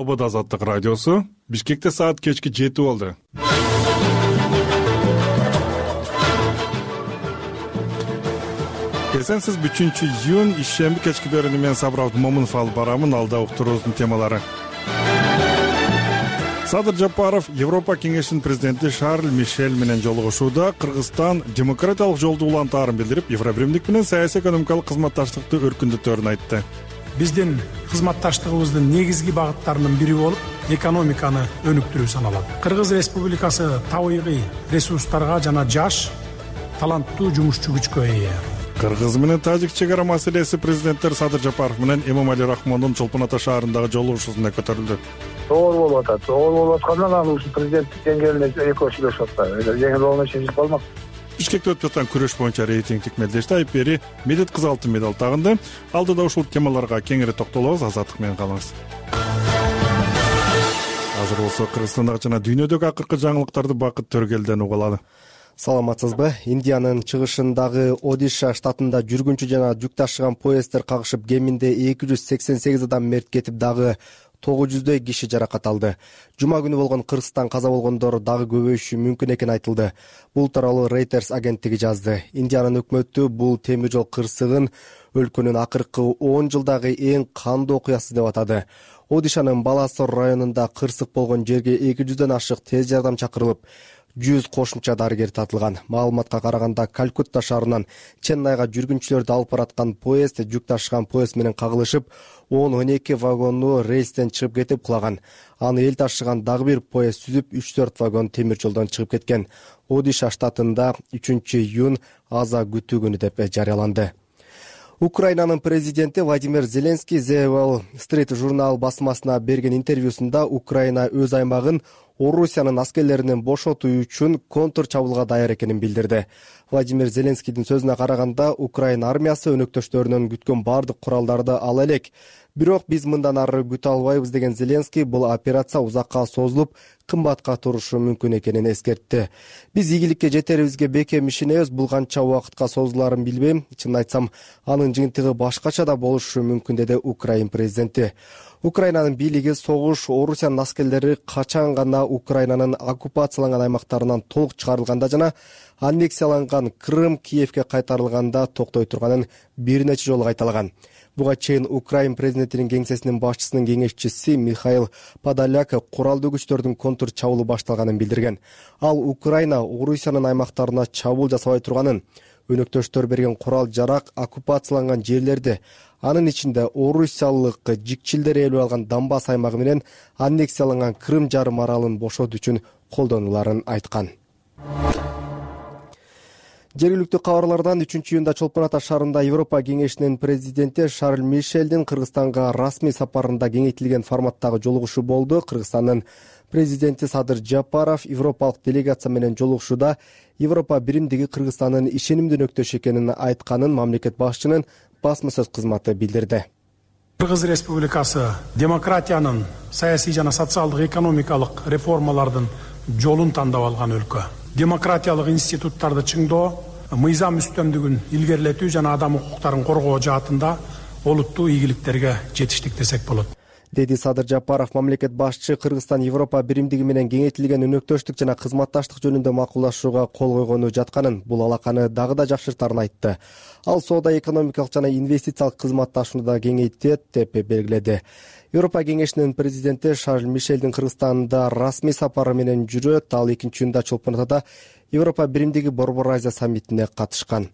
Албада Азаттык радиосу. Бишкекте саат кечки 7 болду. Эсенсиз 3-июнь ишемби кечки берүүнү мен Сабыр Абдымомунов алып барамын. Алда уктуруубуздун темалары. Садыр Жапаров Европа кеңешинин президенти Шарль Мишель менен жолугушууда Кыргызстан демократиялык жолду улантаарын билдирип, Евробиримдик менен саясий экономикалык кызматташтыкты өркүндөтөөрүн айтты. Биздин кызматташтыгыбыздын негизги багыттарынын бири болуп, экономиканы өнүктүрүү саналат. Кыргыз Республикасы табигый ресурстарга жана жаш, таланттуу жумушчу күчкө ээ. Кыргыз менен Тажик чегара маселеси президенттер Садыр Жапаров менен Эмомали Рахмондун Чолпон Ата шаарындагы жолугушуусунда көтөрүлдү. Оор болуп атат. Оор болуп аткандан анан ушу президенттик деңгээлинде экөө сүйлөшүп атат. Жеңил болгон иши болмок. Бишкекте өтүп жаткан күрөш боюнча рейтингдик мелдеште Айпери Медет кыз алтын медаль тагынды. Алдыда ушул темаларга кеңири токтолобуз. Азаттык менен калыңыз. Азыр болсо Кыргызстандагы жана дүйнөдөгү акыркы жаңылыктарды Бакыт Төргелден уга алалы. Саламатсызбы? Индиянын чыгышындагы Одиша штатында жүргүнчү жана жүк ташыган поезддер кагышып, кеминде 288 адам мерт кетип, дагы 900дөй киши жаракат алды. Жума күнү болгон Кыргызстан каза болгондор дагы көбөйүшү мүмкүн экени айтылды. Бул тууралуу Reuters агенттиги жазды. Индиянын өкмөтү бул темир жол кырсыгын өлкөнүн акыркы 10 жылдагы эң кандуу окуясы деп атады. Одишанын Баласор районунда кырсык болгон жерге 200дөн ашык тез жардам чакырылып, 100 кошумча дарыгер татылган. Маалыматка караганда, Калкутта шаарынан Ченнайга жүргүнчүлөрдү алып бараткан поезд жүк ташыган поезд менен кагылышып, 10-12 вагону рейстен чыгып кетип кулаган. Аны эл ташыган дагы бир поезд сүзүп, 3-4 вагон темир жолдон чыгып кеткен. Одиша штатында 3-июнь аза күтүү күнү деп жарыяланды. Украинанын президенти Владимир Зеленский The Wall Street журнал басмасына берген интервьюсунда Украина өз аймагын Орусиянын аскерлеринен бошотуу үчүн контр чабуулга даяр экенин билдирди. Владимир Зеленскийдин сөзүнө караганда, Украина армиясы өнөктөштөрүнөн күткөн бардык куралдарды ала элек. Бирок биз мындан ары күтө албайбыз деген Зеленский бул операция узакка созулуп, кымбатка турушу мүмкүн экенин эскертти. Биз ийгиликке жетерибизге бекем ишенебиз, бул канча убакытка созулаарын билбейм. Чын айтсам, анын жыйынтыгы башкача да болушу мүмкүн, деди Украин президенти. Украинанын бийлиги согуш Орусиянын аскерлери качан гана Украинанын оккупацияланган аймактарынан толук чыгарылганда жана аннексияланган Крым Киевке кайтарылганда токтой турганын бир нече жолу кайталаган. Буга чейин Украин президентинин кеңсесинин башчысынын кеңешчиси Михаил Подоляк куралдуу күчтөрдүн контр чабуулу башталганын билдирген. Ал Украина Орусиянын аймактарына чабуул жасабай турганын, өнөктөштөр берген курал жарак оккупацияланган жерлерди, анын ичинде орусиялык жикчилдер ээлеп алган Донбасс аймагы менен аннексияланган Крым жарым аралын бошотуу үчүн колдонуларын айткан. Жергиликтүү кабарлардан 3-июнда Чолпон Ата шаарында Европа кеңешинин президенти Шарль Мишелдин Кыргызстанга расмий сапарында кеңейтилген форматтагы жолугушуу болду. Кыргызстандын президенти Садыр Жапаров европалык делегация менен жолугушууда Европа биримдиги Кыргызстандын ишенимдүү өнөктөшү экенин айтканын мамлекет башчынын басма сөз кызматы билдирди. Кыргыз Республикасы демократиянын, саясий жана социалдык экономикалык реформалардын жолун тандап алган өлкө. Демократиялык институттарды чыңдоо, мыйзам үстөмдүгүн илгерилетүү жана адам укуктарын коргоо жаатында олуттуу ийгиликтерге жетиштик десек болот, деди Садыр Жапаров. Мамлекет башчы Кыргызстан Европа биримдиги менен кеңейтилген өнөктөштүк жана кызматташтык жөнүндө макулдашууга кол койгону жатканын, бул алаканы дагы да жакшыртаарын айтты. Ал соода экономикалык жана инвестициялык кызматташууну да кеңейтет деп белгиледи. Европа кеңешинин президенти Шарль Мишелдин Кыргызстанда расмий сапары менен жүрөт. Ал 2-июнда Чолпон Атада Европа биримдиги Борбор Азия саммитине катышкан.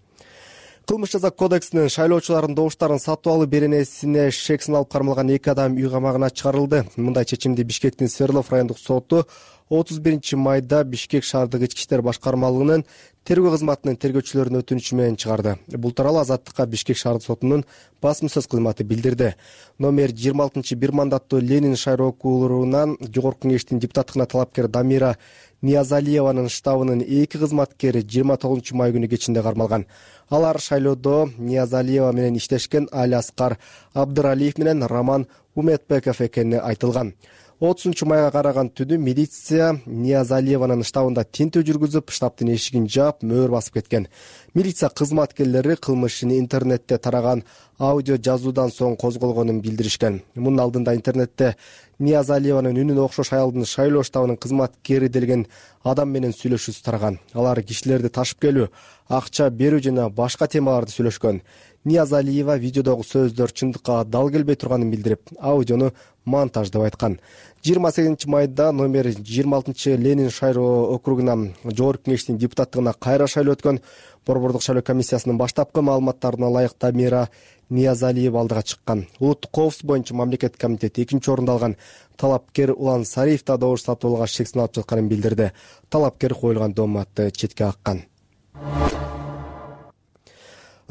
Кылмыш жаза кодексинин шайлоочулардын добуштарын сатып алуу беренесине шек салып кармалган 2 адам үй камагына чыгарылды. Мындай чечимди Бишкектин Свердлов райондук соту 31-майда Бишкек шаардык ички иштер башкармалыгынын тергөө кызматынын тергөөчүлөрүнүн өтүнүчү менен чыгарды. Бул тууралуу Азаттыкка Бишкек шаардык сотунун басма сөз кызматы билдирди. Номер 26 бир мандаттуу Ленин шаар округунан жогорку кеңештин депутаттыгына талапкер Дамира Ниязалиеванын штабынын 2 кызматкери 29 май күнү кечинде кармалган. Алар шайлоодо Ниязалиева менен иштешкен Али Аскар Абдыралиев менен Роман Уметбеков экени айтылган. 30 майга караган түнү милиция Ниязалиеванын штабында тинтүү жүргүзүп, штабтын эшигин жаап, мөөр басып кеткен. Милиция кызматкерлери кылмыш ишини интернетте тараган аудио жазуудан соң козголгонун билдиришкен. Мунун алдында интернетте Ниязалиеванын үнүнө окшош аялдын шайлоо штабынын кызматкери делген адам менен сүйлөшүүсү тараган. Алар кишилерди ташып келүү, акча берүү жана башка темаларды сүйлөшкөн. Ниязалиева видеодогу сөздөр чындыкка дал келбей турганын билдирип, аудиону монтаж деп айткан. 28 майда номер 26 Ленин шайлоо округуна жогорку кеңештин депутаттыгына кайра шайлоо өткөн. Борбордук шайлоо комиссиясынын баштапкы маалыматтарына ылайык Тамира Ниязалиева алдыга чыккан. Улуттук коопсуздук боюнча мамлекеттик комитет 2-орунду алган. Талапкер Улан Сариев да добуш сатып алууга шексин алып жатканын билдирди. Талапкер коюлган дооматты четке каккан.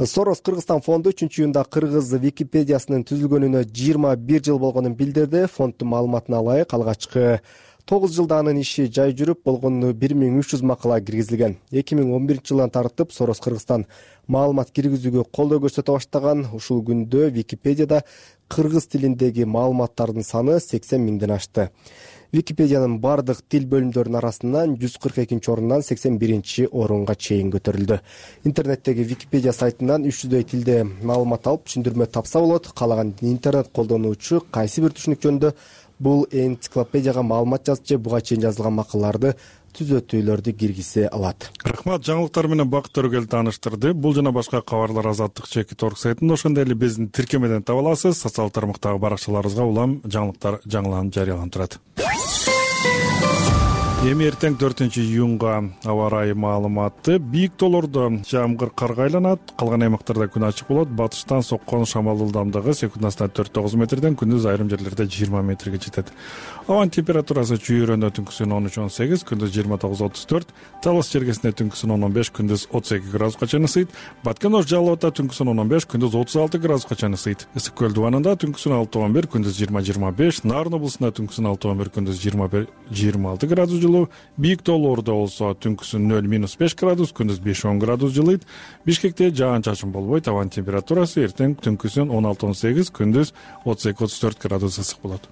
Сорос Кыргызстан фонду 3-июнда кыргыз Википедиясынын түзүлгөнүнө 21 жыл болгонун билдирди. Фонддун маалыматына ылайык алгачкы 9 жылда анын иши жай жүрүп, болгону 1300 макала киргизилген. 2011-жылдан тартып Сорос Кыргызстан маалымат киргизүүгө колдоо көрсөтө баштаган. Ушул күндө Википедияда кыргыз тилиндеги маалыматтардын саны 80 миңден ашты. Википедиянын бардык тил бөлүмдөрүнүн арасынан 142-орундан 81-орунга чейин көтөрүлдү. Интернеттеги Википедия сайтынан 300дөй тилде маалымат алып, түшүндүрмө тапса болот. Каалаган интернет колдонуучу кайсы бир түшүнүк жөнүндө бул энциклопедияга маалымат жазып же буга чейин жазылган макалаларды түзөтүүлөрдү киргизе алат. Рахмат, жаңылыктар менен Бакыт Төрөгел тааныштырды. Бул жана башка кабарлар Азаттык /org сайтында, ошондой эле биздин тиркемеден таба аласыз. Социалдык тармактагы баракчаларыбызга улам жаңылыктар жаңыланып жарыяланып турат. Эми эртең 4-июнга аба ырайы маалыматы. Бийик тоолордо жамгыр карга айланат, калган аймактарда күн ачык болот. Батыштан соккон шамал ылдамдыгы секундасына 4-9 метрден, күндүз айрым жерлерде 20 метрге жетет. Абанын температурасы чүйрөндө түнкүсүн 13-18, күндүз 29-34, Талас жергесинде түнкүсүн 10-15, күндүз 32 градуска чейин ысыйт. Баткен Ош Жалал Абадта түнкүсүн 10-15, күндүз 36 градуска чейин ысыйт. Ысык көл дубанында түнкүсүн 6-11, күндүз 20-25, Нарын облусунда түнкүсүн 6-11, күндүз 21-26 градус жылуу. Бийик тоолордо болсо түнкүсүн 0-5 градус, күндүз 5-10 градус жылыйт. Бишкекте жаан-чачын болбойт. Абанын температурасы эртең түнкүсүн 16-18, күндүз 32-34 градус ысык болот.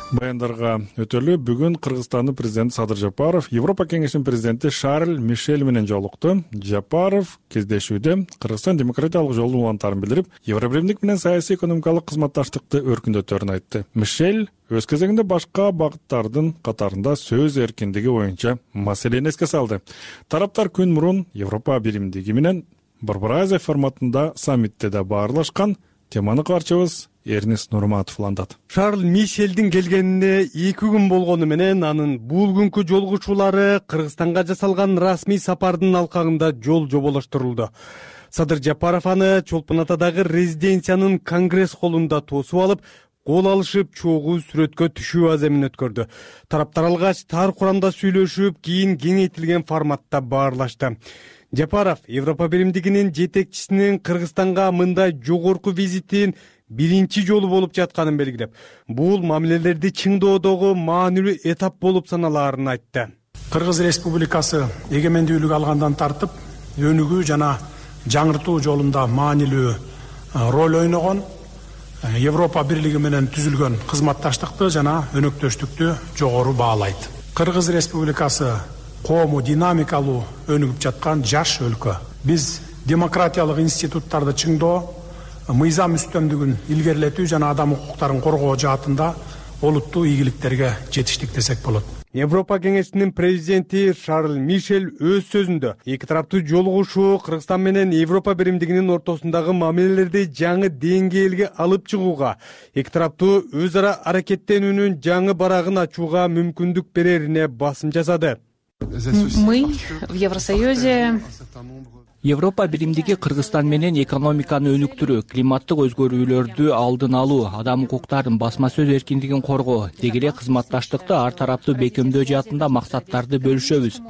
Баяндарга өтөлү. Бүгүн Кыргызстандын президенти Садыр Жапаров Европа кеңешинин президенти Шарль Мишель менен жолукту. Жапаров кездешүүдө Кыргызстан демократиялык жолдун улантарын билдирип, Евробиримдик менен саясий экономикалык кызматташтыкты өркүндөтөөрүн айтты. Мишель өз кезегинде башка багыттардын катарында сөз эркиндиги боюнча маселени эске салды. Тараптар күн мурун Европа биримдиги менен Борбор Азия форматында саммитте да баарлашкан. Теманы кабарчыбыз Эрнис Нурматов улантат. Шарль Мишелдин келгенине 2 күн болгону менен анын бул күнкү жолугушуулары Кыргызстанга жасалган расмий сапардын алкагында жол жоболоштурулду. Садыр Жапаров аны Чолпон Атадагы резиденциянын Конгресс холлунда тосуп алып, кол алышып, чогуу сүрөткө түшүү аземин өткөрдү. Тараптар алгач тар курамда сүйлөшүп, кийин кеңейтилген форматта баарлашты. Жапаров Европа биримдигинин жетекчисинин Кыргызстанга мындай жогорку визитин биринчи жолу болуп жатканын белгилеп, бул мамилелерди чыңдоодогу маанилүү этап болуп саналаарын айтты. Кыргыз Республикасы эгемендүүлүк алгандан тартып, өнүгүү жана жаңыртуу жолунда маанилүү роль ойногон, Европа бирлиги менен түзүлгөн кызматташтыкты жана өнөктөштүктү жогору баалайт. Кыргыз Республикасы коому динамикалуу өнүгүп жаткан жаш өлкө. Биз демократиялык институттарды чыңдоо, мыйзам үстөмдүгүн илгерилетүү жана адам укуктарын коргоо жаатында олуттуу ийгиликтерге жетиштик десек болот. Европа кеңешинин президенти Шарль Мишель өз сөзүндө эки тараптуу жолугушуу Кыргызстан менен Европа биримдигинин ортосундагы мамилелерди жаңы деңгээлге алып чыгууга, эки тараптуу өз ара аракеттенүүнүн жаңы барагын ачууга мүмкүндүк берерине басым жасады. Мы в Евросоюзе Европа биримдиги Кыргызстан менен экономиканы өнүктүрүү, климаттык өзгөрүүлөрдү алдын алуу, адам укуктарын, басма сөз эркиндигин коргоо, деги эле кызматташтыкты ар тараптуу бекемдөө жаатында максаттарды бөлүшөбүз.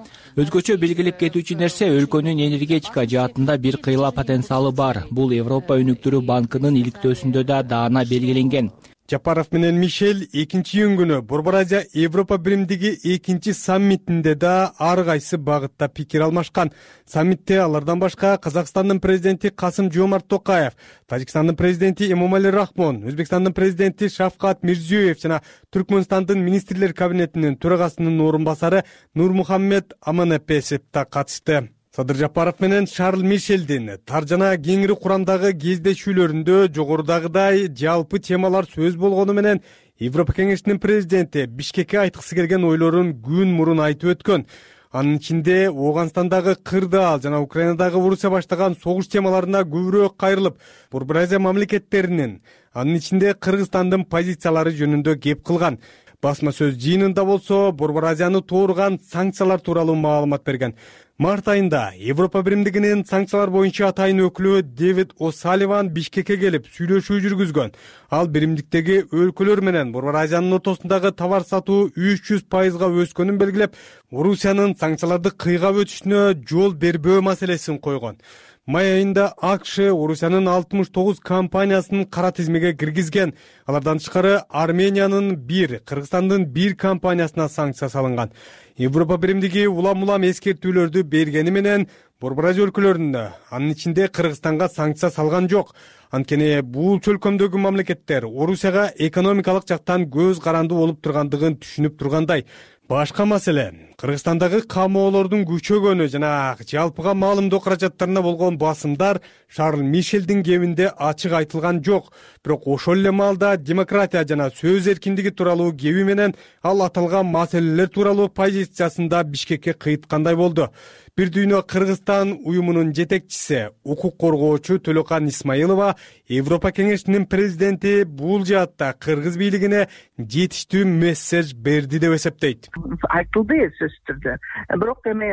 Өзгөчө белгилеп кетүүчү нерсе, өлкөнүн энергетика жаатында бир кыйла потенциалы бар. Бул Европа өнүктүрүү банкынын иликтөөсүндө да даана белгиленген. Жапаров менен Мишель 2-июнь күнү Борбор Азия Европа биримдиги 2 саммитинде да ар кайсы багытта пикир алмашкан. Саммитте алардан башка Казакстандын президенти Касым-Жомарт Токаев, Тажикстандын президенти Эмомали Рахмон, Өзбекстандын президенти Шавкат Мирзиёев жана Түркмөнстандын министрлер кабинетинин төрагасынын орун басары Нурмухаммед Аманапесов да катышты. Садыр Жапаров менен Шарль Мишелдин тар жана кеңири курамдагы кездешүүлөрүндө жогорудагыдай жалпы темалар сөз болгону менен Европа кеңешинин президенти Бишкекке айткысы келген ойлорун күн мурун айтып өткөн. Анын ичинде Ооганстандагы кырдаал жана Украинадагы Орусия баштаган согуш темаларына көбүрөөк кайрылып, Борбор Азия мамлекеттеринин, анын ичинде Кыргызстандын позициялары жөнүндө кеп кылган. Басма сөз жыйынында болсо Борбор Азияны тууруган санкциялар тууралуу маалымат берген. Март айында Европа биримдигинин санкциялар боюнча атайын өкүлү Дэвид О'Салливан Бишкекке келип сүйлөшүү жүргүзгөн. Ал биримдиктеги өлкөлөр менен Борбор Азиянын ортосундагы товар сатуу 300% өскөнүн белгилеп, Орусиянын санкцияларды кыйгап өтүшүнө жол бербөө маселесин койгон. Май айында АКШ Орусиянын 69 компаниясын кара тизмеге киргизген. Алардан тышкары Армениянын 1, Кыргызстандын 1 компаниясына санкция салынган. Европа биримдиги улам-улам эскертүүлөрдү бергени менен Борбор Азия өлкөлөрүнө, анын ичинде Кыргызстанга санкция салган жок. Анткени бул чөлкөмдөгү мамлекеттер Орусияга экономикалык жактан көз каранды болуп тургандыгын түшүнүп тургандай. Башка маселе Кыргызстандагы камоолордун күчөгөнү жана жалпыга маалымдоо каражаттарына болгон басымдар Шарль Мишелдин кебинде ачык айтылган жок. Бирок ошол эле маалда демократия жана сөз эркиндиги тууралуу кеби менен ал аталган маселелер тууралуу позициясында Бишкекке кыйткандай болду. Бир дүйнө Кыргызстан уюмунун жетекчиси, укук коргоочу Төлөкан Исмаилова Европа кеңешинин президенти бул жаатта Кыргыз бийлигине жетиштүү месседж берди деп эсептейт. Айтылды сөзсүз түрдө. Бирок эми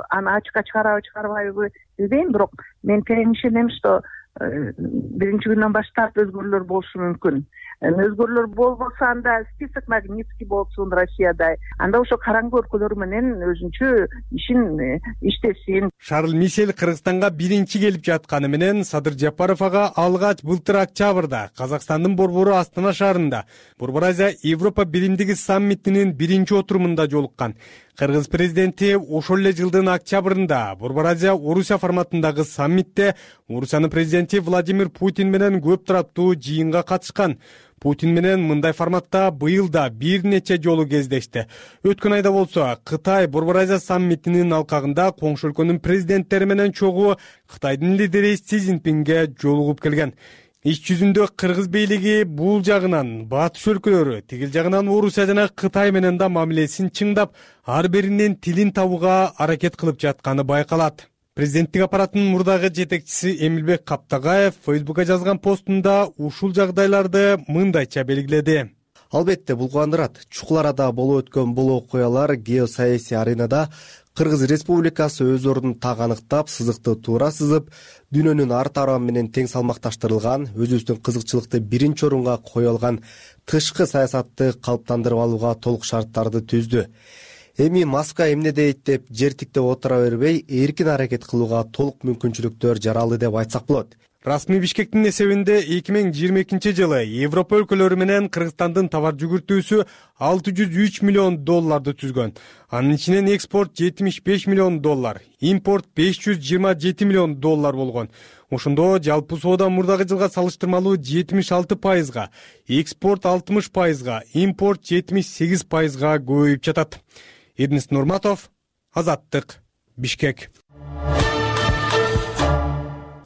аны ачыкка чыгарбайбы билбейм, бирок мен терең ишенем, что биринчи күндөн баштап өзгөрүүлөр болушу мүмкүн. Өзгөрүүлөр болбосо анда список Магнитский болсун Россияда. Анда ошо караңгы өлкөлөр менен өзүнчө ишин иштесин. Шарль Мишель Кыргызстанга биринчи келип жатканы менен Садыр Жапаров ага алгач былтыр октябрда Казакстандын борбору Астана шаарында Борбор Азия Европа биримдиги саммитинин биринчи отурумунда жолуккан. Кыргыз президенти ошол эле жылдын октябрында Борбор Азия Орусия форматындагы саммитте Орусиянын президенти Владимир Путин менен көп тараптуу жыйынга катышкан. Путин менен мындай форматта быйыл да бир нече жолу кездешти. Өткөн айда болсо Кытай Борбор Азия саммитинин алкагында коңшу өлкөнүн президенттери менен чогуу Кытайдын лидери Си Цзиньпинге жолугуп келген. Иш жүзүндө Кыргыз бийлиги бул жагынан батыш өлкөлөрү, тигил жагынан Орусия жана Кытай менен да мамилесин чыңдап, ар биринин тилин табууга аракет кылып жатканы байкалат. Президенттик аппараттын мурдагы жетекчиси Эмилбек Каптагаев Фейсбукка жазган постунда ушул жагдайларды мындайча белгиледи. Албетте бул кубандырат. Чукул арада болуп өткөн бул окуялар геосаясий аренада Кыргыз Республикасы өз ордун так аныктап, сызыкты туура сызып, дүйнөнүн ар тарабы менен тең салмакташтырылган, өзүбүздүн кызыкчылыкты биринчи орунга кое алган тышкы саясатты калыптандырып алууга толук шарттарды түздү. Эми Москва эмне дейт деп жертиктеп отура бербей, эркин аракет кылууга толук мүмкүнчүлүктөр жаралды деп айтсак болот. Расмий Бишкектин эсебинде 2022 жылы Европа өлкөлөрү менен Кыргызстандын товар жүгүртүүсү $603 миллион түзгөн. Анын ичинен экспорт $75 миллион, импорт $527 миллион болгон. Ошондо жалпы соода мурдагы жылга салыштырмалуу 76%, экспорт 60%, импорт 78%га көбөйүп жатат. Эрнест Нурматов, Азаттык, Бишкек.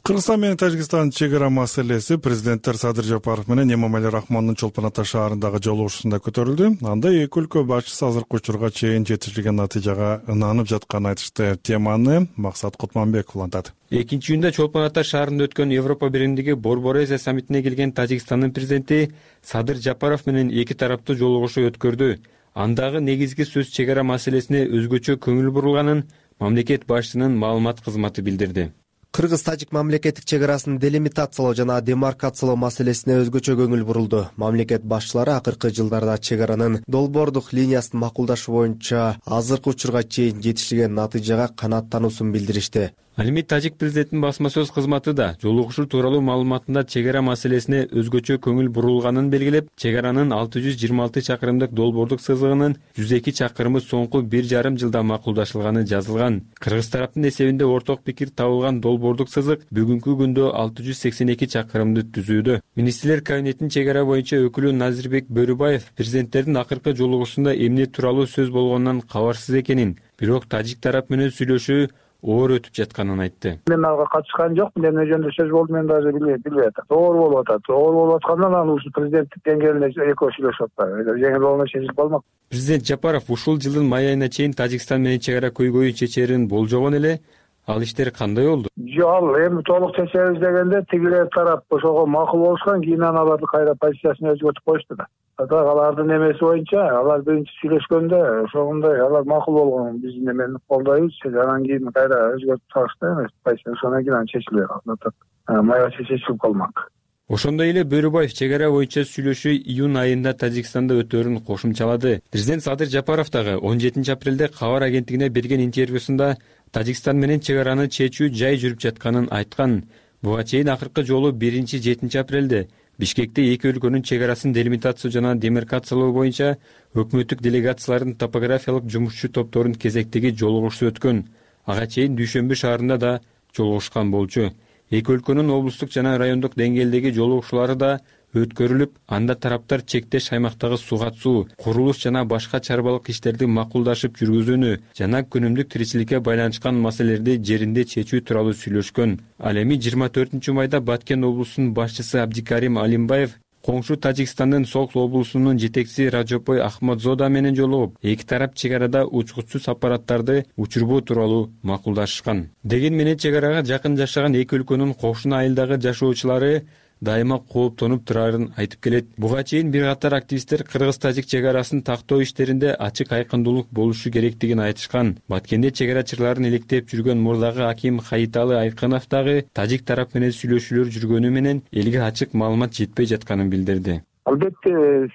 Кыргызстан менен Тажикстандын чегара маселеси президенттер Садыр Жапаров менен Эмомали Рахмондун Чолпон Ата шаарындагы жолугушуусунда көтөрүлдү. Анда эки өлкө башчысы азыркы учурга чейин жетишилген натыйжага ынанып жатканын айтышты. Теманы Максат Кутманбеков улантат. 2-июнда Чолпон Ата шаарында өткөн Европа биримдиги Борбор Азия саммитине келген Тажикстандын президенти Садыр Жапаров менен эки тараптуу жолугушуу өткөрдү. Андагы негизги сөз чегара маселесине өзгөчө көңүл бурулганын мамлекет башчысынын маалымат кызматы билдирди. Кыргыз-Тажик мамлекеттик чегарасын делимитациялоо жана демаркациялоо маселесине өзгөчө көңүл бурулду. Мамлекет башчылары акыркы жылдарда чегаранын долбоордук линиясын макулдашы боюнча азыркы учурга чейин жетишилген натыйжага канааттануусун билдиришти. Ал эми тажик президентинин басма сөз кызматы да жолугушуу тууралуу маалыматында чек ара маселесине өзгөчө көңүл бурулганын белгилеп, чек аранын 626 чакырымдык долбоордук сызыгынын 102 чакырымы соңку 1,5 жылда макулдашылганы жазылган. Кыргыз тараптын эсебинде орток пикир табылган долбоордук сызык бүгүнкү күндө 682 чакырымды түзүүдө. Министрлер кабинетинин чек ара боюнча өкүлү Назирбек Бөрүбаев президенттердин акыркы жолугушуусунда эмне тууралуу сөз болгонунан кабарсыз экенин, бирок тажик тарап менен сүйлөшүү оор өтүп жатканын айтты. Мен ага катышкан жокмун, эмне жөнүндө сөз болду мен даже билбей атам. Оор болуп атат. Оор болуп аткандан анан ушу президенттик деңгээлинде экөө сүйлөшүп атпайбы. Жеңил болгондо чечилип калмак. Президент Жапаров ушул жылдын май айына чейин Тажикстан менен чек ара көйгөйүн чечерин болжогон эле. Ал иштер кандай болду? Жок, эми толук чечебиз дегенде тигилер тарап ошого макул болушкан, кийин аларды кайра позициясын өзгөртүп коюшту да. Алардын эмеси боюнча, алар биринчи сүйлөшкөндө ошондой алар макул болгон, биз немени колдойбуз, анан кийин кайра өзгөртүп салышты эмес, позициясы ошондон кийин чечилбей калды. Майга чечилип калмак. Ошондой эле Бөрүбаев чек ара боюнча сүйлөшүү июнь айында Тажикстанда өтөөрүн кошумчалады. Президент Садыр Жапаров дагы 17 апрелде кабар агенттигине берген интервьюсунда Тажикстан менен чек араны чечүү жай жүрүп жатканын айткан. Буга чейин акыркы жолу 1-7 апрелде Бишкекте эки өлкөнүн чек арасын делимитация жана демаркациялоо боюнча өкмөттүк делегациялардын топографиялык жумушчу топторунун кезектеги жолугушуу өткөн. Ага чейин Дүйшөмбү шаарында да жолугушкан болчу. Эки өлкөнүн облустук жана райондук деңгээлдеги жолугушуулары да өткөрүлүп, анда тараптар чектеш аймактагы сугат-суу, курулуш жана башка чарбалык иштерди макулдашып жүргүзүүнү жана күнүмдүк тиричиликке байланышкан маселелерди жеринде чечүү тууралуу сүйлөшкөн. Ал эми 24 майда Баткен облусунун башчысы Абдикарим Алимбаев коңшу Тажикстандын Сокс облусунун жетекчиси Раджопой Ахмадзода менен жолугуп, эки тарап чек арада учкучсуз аппараттарды учурбоо тууралуу макулдашышкан. Деген менен чек арага жакын жашаган эки өлкөнүн кошуна айылдагы жашоочулары дайыма кооптонуп турарын айтып келет. Буга чейин бир катар активисттер кыргыз-тажик чек арасын тактоо иштеринде ачык айкындуулук болушу керектигин айтышкан. Баткенде чек арачыларын иликтеп жүргөн мурдагы аким Хаиталы Айкынов дагы тажик тарап менен сүйлөшүүлөр жүргөнү менен элге ачык маалымат жетпей жатканын билдирди. Албетте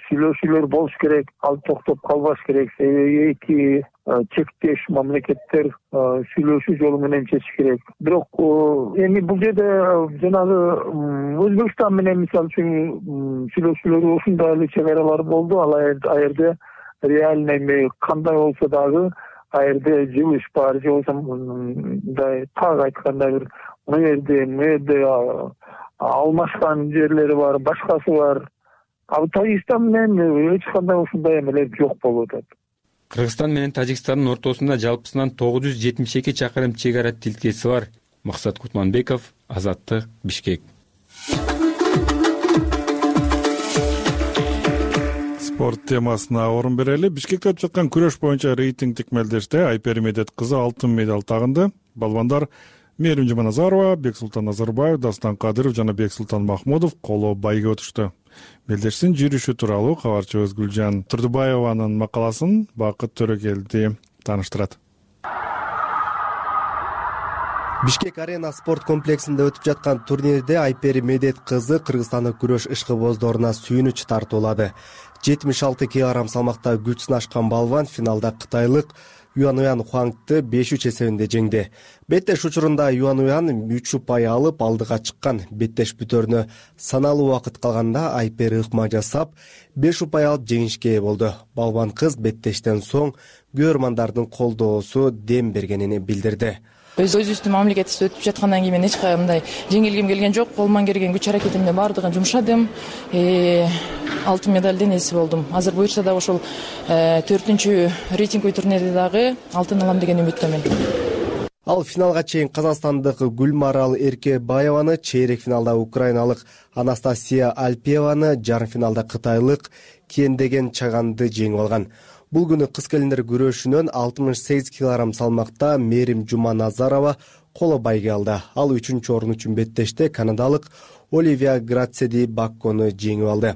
сүйлөшүүлөр болуш керек, ал токтоп калбаш керек. Себеби эки чектеш мамлекеттер сүйлөшүү жолу менен чечиш керек. Бирок эми бул жерде жанагы Өзбекстан менен мисалы үчүн сүйлөшүүлөр ушундай эле чек аралар болду. Ал жерде реально эми кандай болсо дагы ал жерде жылыш бар, же болбосо мындай так айтканда бир жерде алмашкан жерлери бар, башкасы бар. Ал Тажикстан менен эч кандай ушундай эмелер жок болуп атат. Кыргызстан менен Тажикстандын ортосунда жалпысынан 972 чакырым чек ара тилкеси бар. Максат Кутманбеков, Азаттык, Бишкек. Спорт темасына орун берели. Бишкекте өтүп жаткан күрөш боюнча рейтингдик мелдеште Айпери Медет кызы алтын медаль тагынды. Балбандар Мээрим Жуманазарова, Бексултан Назарбаев, Дастан Кадыров жана Бексултан Махмудов коло байга өтүштү. Мелдештин жүрүшү тууралуу кабарчыбыз Гүлжан Турдубаеванын макаласын Бакыт Төрөкелди тааныштырат. Бишкек арена спорт комплексинде өтүп жаткан турнирде Айпери Медет кызы кыргызстандык күрөш ишкыбоздоруна сүйүнүч тартуулады. 76 кг салмакта күч сынашкан балван финалда кытайлык Юан Хуангты 5-3 эсебинде жеңди. Беттеш учурунда Юан 3 упай алып алдыга чыккан. Беттеш бүтөрүнө саналуу убакыт калганда Айпери ыкма жасап 5 упай алып жеңишке ээ болду. Балван кыз беттештен соң көрөрмандардын колдоосу дем бергенин билдирди. Өзүбүздүн мамлекетибизде өтүп жаткандан кийин мен эч кандай жеңилгим келген жок. Колуман келген күч аракетимди баардыгын жумшадым. Алтын медалдын ээси болдум. Азыр буюрса да ошол 4-чү рейтинговый турнирде дагы алтын алам деген үмүттөмүн. Ал финалга чейин казакстандык Гүлмарал Эркебаеваны, чейрек финалда украиналык Анастасия Альпиеваны, жарым финалда кытайлык Кендеген Чаганды жеңип алган. Бул күнү кыз келиндер күрөшүнөн 68 кг салмакта Мээрим Жуманазарова коло байге алды. Ал 3-чү орун үчүн беттеште канадалык Оливия Грацеди Баккону жеңип алды.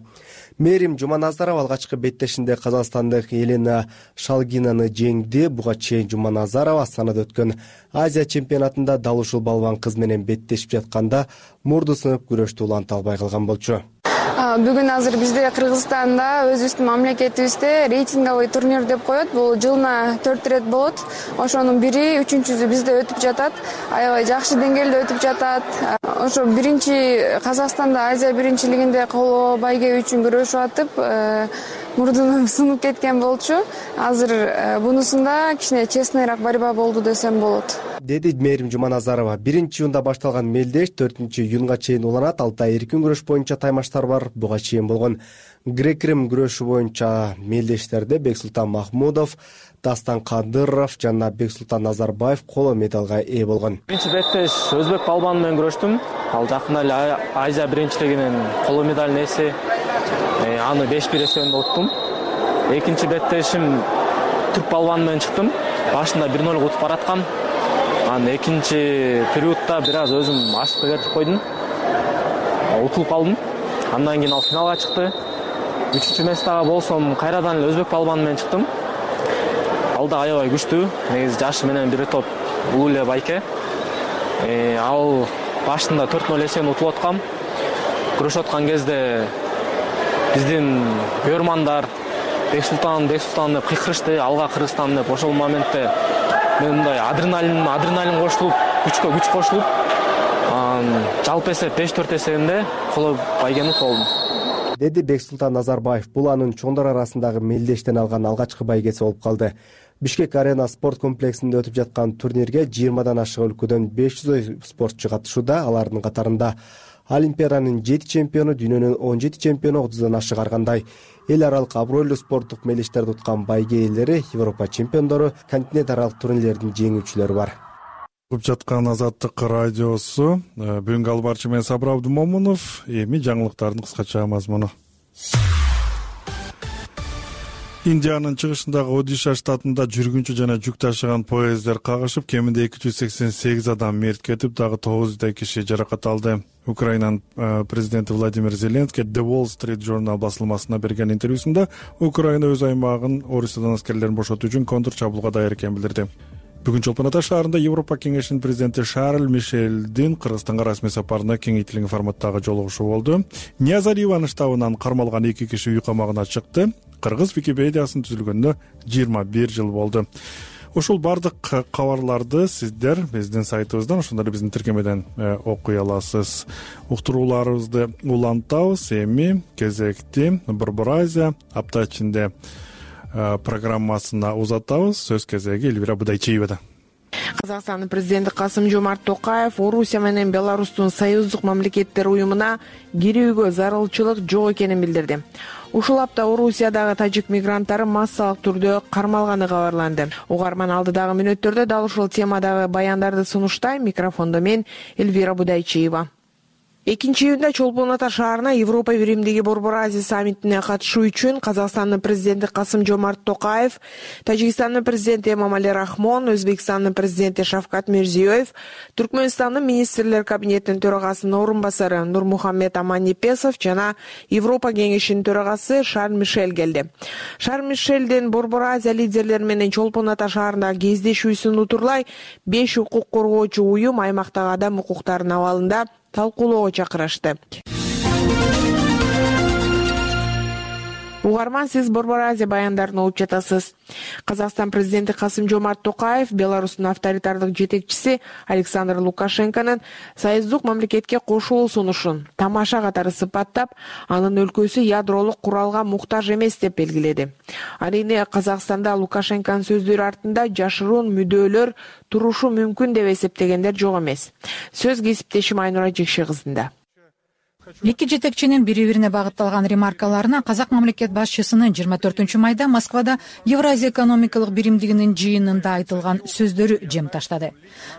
Мээрим Жуманазарова алгачкы беттешинде казакстандык Елена Шалгинаны жеңди. Буга чейин Жуманазарова Астанада өткөн Азия чемпионатында дал ушул балван кыз менен беттешип жатканда мурду сынып күрөштү уланта албай калган болчу. Бүгүн азыр бизде Кыргызстанда өзүбүздүн мамлекетибизде рейтинговый турнир деп коет. Бул жылына 4 ирет болот. Ошонун бири 3-чүсү бизде өтүп жатат. Аябай жакшы деңгээлде өтүп жатат. Ошо биринчи Казакстанда Азия биринчилигинде коло байге үчүн күрөшүп атып, мурдунум сунуп кеткен болчу. Азыр бунусунда кичине честныйраак борьба болду десем болот, деди Мээрим Жуманазарова. 1-июнда башталган мелдеш 4-июнга чейин уланат. Алтайда эркин күрөш боюнча таймаштар бар. Буга чейин болгон грек-рим күрөшү боюнча мелдештерде Бексултан Махмудов, Дастан Кадыров жана Бексултан Назарбаев коло медалга ээ болгон. Биринчи беттеш өзбек балбаны менен күрөштүм. Ал жакында эле Азия биринчилигинин коло медалын ээси. Аны 5-1 эсебинде уттум. Экинчи беттешим түрк балбаны менен чыктым. Башында 1-0 утуп бараткам. Анан экинчи периодта бир аз өзүм ашыкты кетип койдум. Утулуп калдым. Андан кийин ал финалга чыкты. 3-чү местага болсом кайрадан эле өзбек балбаны менен чыктым. Ал да аябай күчтүү. Негизи жашы менен бир топ улуу эле байке. Ал башында 4-0 эсебинде утуп аткам. Күрөшүп аткан кезде биздин бүйөрмандар Бексултан деп кыйкырышты, алга Кыргызстан деп. Ошол моментте мен мындай адреналин кошулуп, күч кошулуп, жалпы эсеп 5-4 эсебинде коло байгени утуп алдым, деди Бексултан Назарбаев. Бул анын чоңдор арасындагы мелдештен алган алгачкы байгеси болуп калды. Бишкек арена спорт комплексинде өтүп жаткан турнирге 20дан ашык өлкөдөн 500 спортчу катышууда. Алардын катарында Олимпиаданын 7 чемпиону, дүйнөнүн 17 чемпиону, 30дан ашык аргандай эл аралык абройлуу спорттук мелдештерди уткан байге ээлери, Европа чемпиондору, континент аралык турнирлердин жеңүүчүлөрү бар. Угуп жаткан Азаттык радиосу. Бүгүнкү албарчы мен Сабыр Абдымомунов. Эми жаңылыктардын кыскача мазмуну. Индиянын чыгышындагы Одиша штатында жүргүнчү жана жүк ташыган поезддер кагышып, кеминде 288 адам мерт кетип, дагы 900 киши жаракат алды. Украинанын президенти Владимир Зеленский The Wall Street Journal басылмасына берген интервьюсунда Украина өз аймагын Орусиядан аскерлерин бошотуу үчүн контр чабуулга даяр экенин билдирди. Бүгүн Чолпон Ата шаарында Европа кеңешинин президенти Шарль Мишелдин Кыргызстанга расмий сапарында кеңейтилген форматтагы жолугушуу болду. Ниязариванын штабынан кармалган 2 киши үй камагына чыкты. Кыргыз Википедиясын түзүлгөнүнө 21 жыл болду. Ушул бардык кабарларды сиздер биздин сайтыбыздан, ошондой эле биздин тиркемеден окуй аласыз. Уктурууларыбызды улантабыз. Эми кезекти Борбор Азия апта ичинде программасына узатабыз. Сөз кезеги Элвира Будайчиевада. Казакстандын президенти Касым-Жомарт Токаев Орусия менен Беларустун союздук мамлекеттер уюмуна кирүүгө зарылчылык жок экенин билдирди. Ушул апта Орусиядагы тажик мигранттары массалык түрдө кармалганы кабарланды. Угарман алдыдагы мүнөттөрдө дал ушул темадагы баяндарды сунуштайм. Микрофондо мен Элвира Будайчиева. 2-июнда Чолпон Ата шаарына Европа биримдиги Борбор Азия саммитине катышуу үчүн Казакстандын президенти Касым-Жомарт Токаев, Тажикстандын президенти Эмомали Рахмон, Өзбекстандын президенти Шавкат Мирзиёев, Түркмөнстандын министрлер кабинетинин төрагасынын орун басары Нурмухаммед Аманипесов жана Европа кеңешинин төрагасы Шарль Мишель келди. Шарль Мишелдин Борбор Азия лидерлери менен Чолпон Ата шаарындагы кездешүүсүн утурлай 5 укук коргоочу уюм аймактагы адам укуктарынын абалында талкуулоого чакырышты. Угарман, сиз Борбор Азия баяндарын угуп жатасыз. Казакстан президенти Касым-Жомарт Токаев Беларустун авторитардык жетекчиси Александр Лукашенконун союздук мамлекетке кошулуу сунушун тамаша катары сыпаттап, анын өлкөсү ядролук куралга муктаж эмес деп белгиледи. Арийне Казакстанда Лукашенконун сөздөрү артында жашыруун мүддөөлөр турушу мүмкүн деп эсептегендер жок эмес. Сөз кесиптешим Айнура Жекши кызында. Эки жетекчинин бири-бирине багытталган ремаркаларына казак мамлекет башчысынын 24-майда Москвада Евразия экономикалык биримдигинин жыйынында айтылган сөздөрү жем таштады.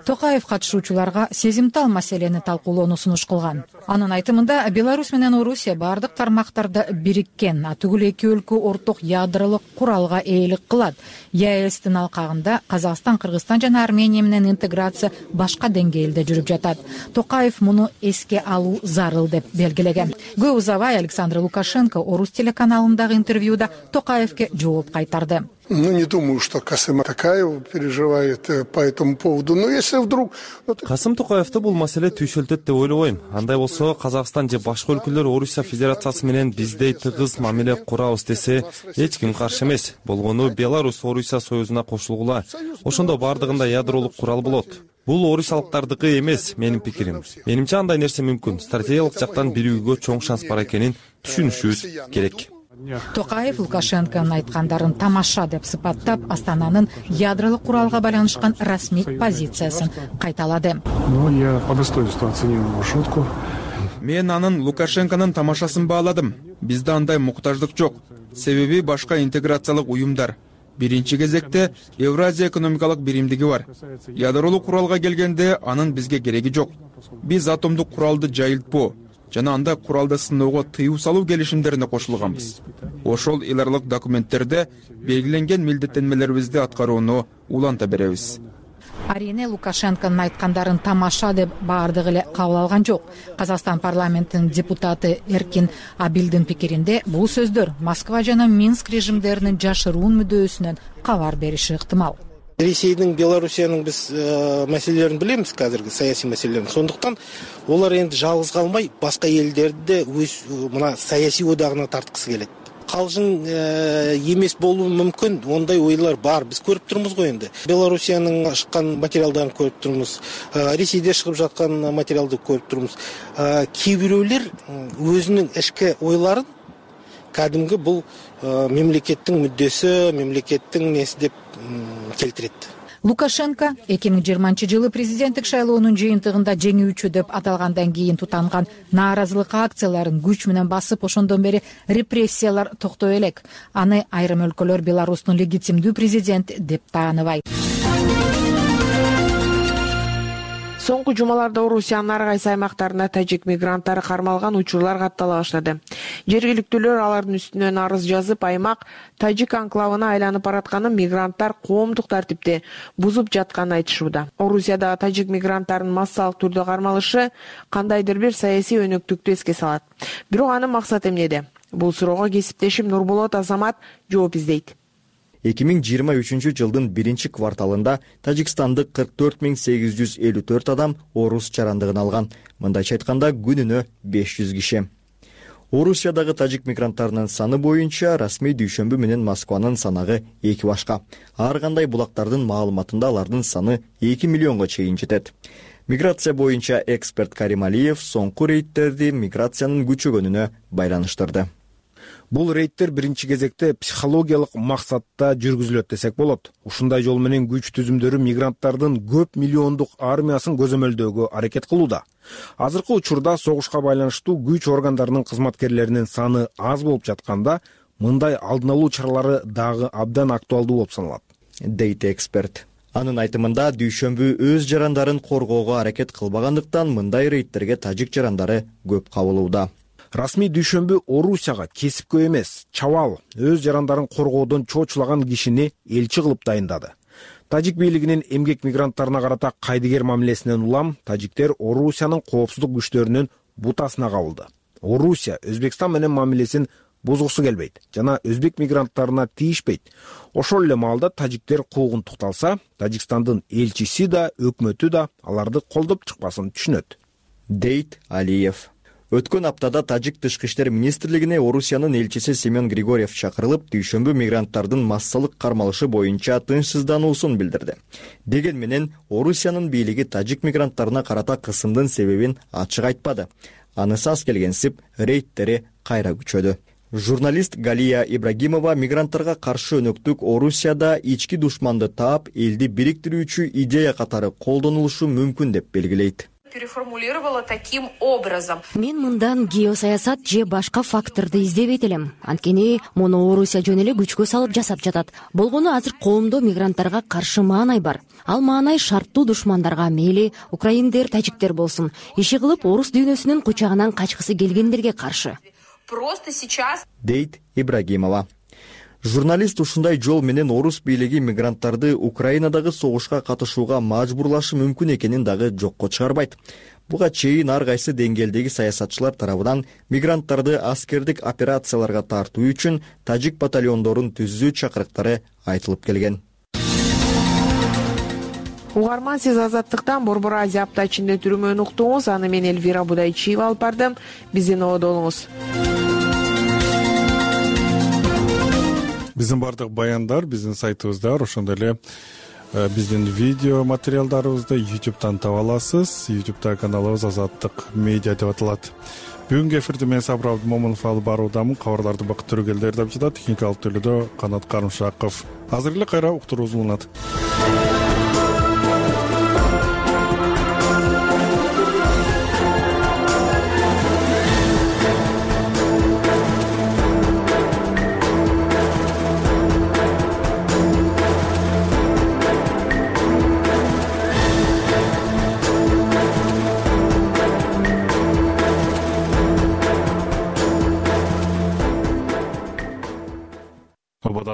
Токаев катышуучуларга сезимтал маселени талкуулоону сунуш кылган. Анын айтымында Беларусь менен Орусия бардык тармактарда бириккен, түгүл эки өлкө орток ядролук куралга ээлик кылат. ЕАЭСтин алкагында Казакстан, Кыргызстан жана Армения менен интеграция башка деңгээлде жүрүп жатат. Токаев муну эске алуу зарыл деп белгилеген. Көп узабай Александр Лукашенко орус телеканалындагы интервьюда Токаевке жооп кайтарды. Не думаю, что Касым Токаев переживает по этому поводу. Но если вдруг... Касым Токаевди бул маселе түйшөлтөт деп ойлобойм. Андай болсо Казакстан же башка өлкөлөр Орусия Федерациясы менен биздей тыгыз мамиле курабыз десе, эч ким каршы эмес. Болгону Беларусь Орусия союзуна кошулгула. Ошондо бардыгында ядролук курал болот. Бул орусиялыктардыкы эмес, менин пикирим. Менимче андай нерсе мүмкүн. Стратегиялык жактан биригүүгө чоң шанс бар экенин түшүнүшүбүз керек. Токаев Лукашенконун айткандарын тамаша деп сыпаттап, Астананын ядролук куралга байланышкан расмий позициясын кайталады. Я по достоинству оценил его шутку. Мен анын Лукашенконун тамашасын бааладым. Бизде андай муктаждык жок. Себеби башка интеграциялык уюмдар. Биринчи кезекте Евразия экономикалык биримдиги бар. Ядролук куралга келгенде анын бизге кереги жок. Биз атомдук куралды жайылтпоо жана анда куралды сыноого тыюу салуу келишимдерине кошулганбыз. Ошол эл аралык документтерде белгиленген милдеттенмелерибизди аткарууну уланта беребиз. Арине Лукашенконун айткандарын тамаша деп баардыгы эле кабыл алган жок. Казакстан парламентинин депутаты Эркин Абилдин пикиринде бул сөздөр Москва жана Минск режимдеринин жашыруун мүдөөсүнөн кабар бериши ыктымал. Ресейдин, Белоруссиянын биз маселелерин билебиз, казыркы саясий маселелерин. Сондуктан олар энди жалгыз калмай, башка элдерди өз мына саясий одагына тарткысы келет. Калжың эмес болуу мүмкүн, ондай ойлор бар. Биз көрүп турмуз го энди. Белоруссиянын чыккан материалдарын көрүп турмуз. Ресейде чыгып жаткан материалды көрүп турмуз. Кээ бирөөлөр өзүнүн ички ойлорун кадимги бул мемлекеттин мүддөсү, мемлекеттин неси деп келтирет. Лукашенко 2020-жылы президенттик шайлоонун жыйынтыгында жеңүүчү деп аталгандан кийин тутанган нааразылык акцияларын күч менен басып, ошондон бери репрессиялар токтой элек. Аны айрым өлкөлөр Беларустун легитимдүү президенти деп тааныбайт. Соңку жумаларда Орусиянын ар кайсы аймактарында тажик мигранттары кармалган учурлар каттала баштады. Жергиликтүүлөр алардын үстүнөн арыз жазып, аймак тажик анклавына айланып баратканын, мигранттар коомдук тартипти бузуп жатканын айтышууда. Орусиядагы тажик мигранттарынын массалык түрдө кармалышы кандайдыр бир саясий өнөктүктү эске салат. Бирок анын максаты эмнеде? Бул суроого кесиптешим Нурболот Азамат жооп издейт. 2023-жылдын 1-кварталында Тажикстандык 44.854 адам орус чарандыгын алган. Мындайча айтканда күнүнө 500 киши. Орусиядагы тажик мигранттарынын саны боюнча расмий дүйшөмбү менен Москванын санагы 2 башка. Ар кандай булактардын маалыматында алардын саны 2 миллионго чейин жетет. Миграция боюнча эксперт Карим Алиев соңку рейдтерди миграциянын күчөгөнүнө байланыштырды. Бул рейдтер биринчи кезекте психологиялык максатта жүргүзүлөт десек болот. Ушундай жол менен күч түзүмдөрү мигранттардын көп миллиондук армиясын көзөмөлдөөгө аракет кылууда. Азыркы учурда согушка байланыштуу күч органдарынын кызматкерлеринин саны аз болуп жатканда, мындай алдын алуу чаралары дагы абдан актуалдуу болуп саналат, дейт эксперт. Анын айтымында дүйшөмбү өз жарандарын коргоого аракет кылбагандыктан мындай рейдтерге тажик жарандары көп кабылууда. Расмий дүйшөмбү Орусияга кесипкөй эмес, чабал өз жарандарын коргоодон чочулаган кишини элчи кылып дайындады. Тажик бийлигинин эмгек мигранттарына карата кайдыгер мамилесинен улам тажиктер Орусиянын коопсуздук күчтөрүнүн бутасына кабылды. Орусия Өзбекстан менен мамилесин бузгусу келбейт жана өзбек мигранттарына тийишпейт. Ошол эле маалда тажиктер куугунтукталса, Тажикстандын элчиси да, өкмөтү да аларды колдоп чыкпасын түшүнөт, дейт Алиев. Өткөн аптада Тажик тышкы иштер министрлигине Орусиянын элчиси Семен Григорьев чакырылып, дүйшөмбү мигранттардын массалык кармалышы боюнча тынчсыздануусун билдирди. Деген менен Орусиянын бийлиги тажик мигранттарына карата кысымдын себебин ачык айтпады. Анысы аз келгенсип, рейдтери кайра күчөдү. Журналист Галия Ибрагимова мигранттарга каршы өнөктүк Орусияда ички душманды таап, элди бириктирүүчү идея катары колдонулушу мүмкүн деп белгилейт. Переформулировала таким образом. Мен мындан геосаясат же башка факторду издебейт элем. Анткени муну Орусия жөн эле күчкө салып жасап жатат. Болгону азыр коомдо мигранттарга каршы маанай бар. Ал маанай шарттуу душмандарга, мейли украиндер, тажиктер болсун, иши кылып орус дүйнөсүнүн кучагынан качкысы келгендерге каршы. Просто сейчас, дейт Ибрагимова. Журналист ушундай жол менен орус бийлиги мигранттарды Украинадагы согушка катышууга мажбурлашы мүмкүн экенин дагы жокко чыгарбайт. Буга чейин ар кайсы деңгээлдеги саясатчылар тарабынан мигранттарды аскердик операцияларга тартуу үчүн тажик батальондорун түзүү чакырыктары айтылып келген. Угарман, сиз Азаттыктан Борбор Азия апта ичинде түрмөнү уктуңуз. Аны мен Эльвира Будайчиева алып бардым. Биздин ободо болуңуз. Биздин бардык баяндар биздин сайтыбызда, ошондой эле биздин видео материалдарыбызды YouTube'дан таба аласыз. YouTube'да каналыбыз Азаттык медиа деп аталат. Бүгүнкү эфирди мен Сабыр Абдымомунов алып баруудамын. Кабарларды Бакыт Төрөгелди даярдап жатат. Техникалык төлөдө Канат Карымшаков. Азыр эле кайра уктуруубуз уланат.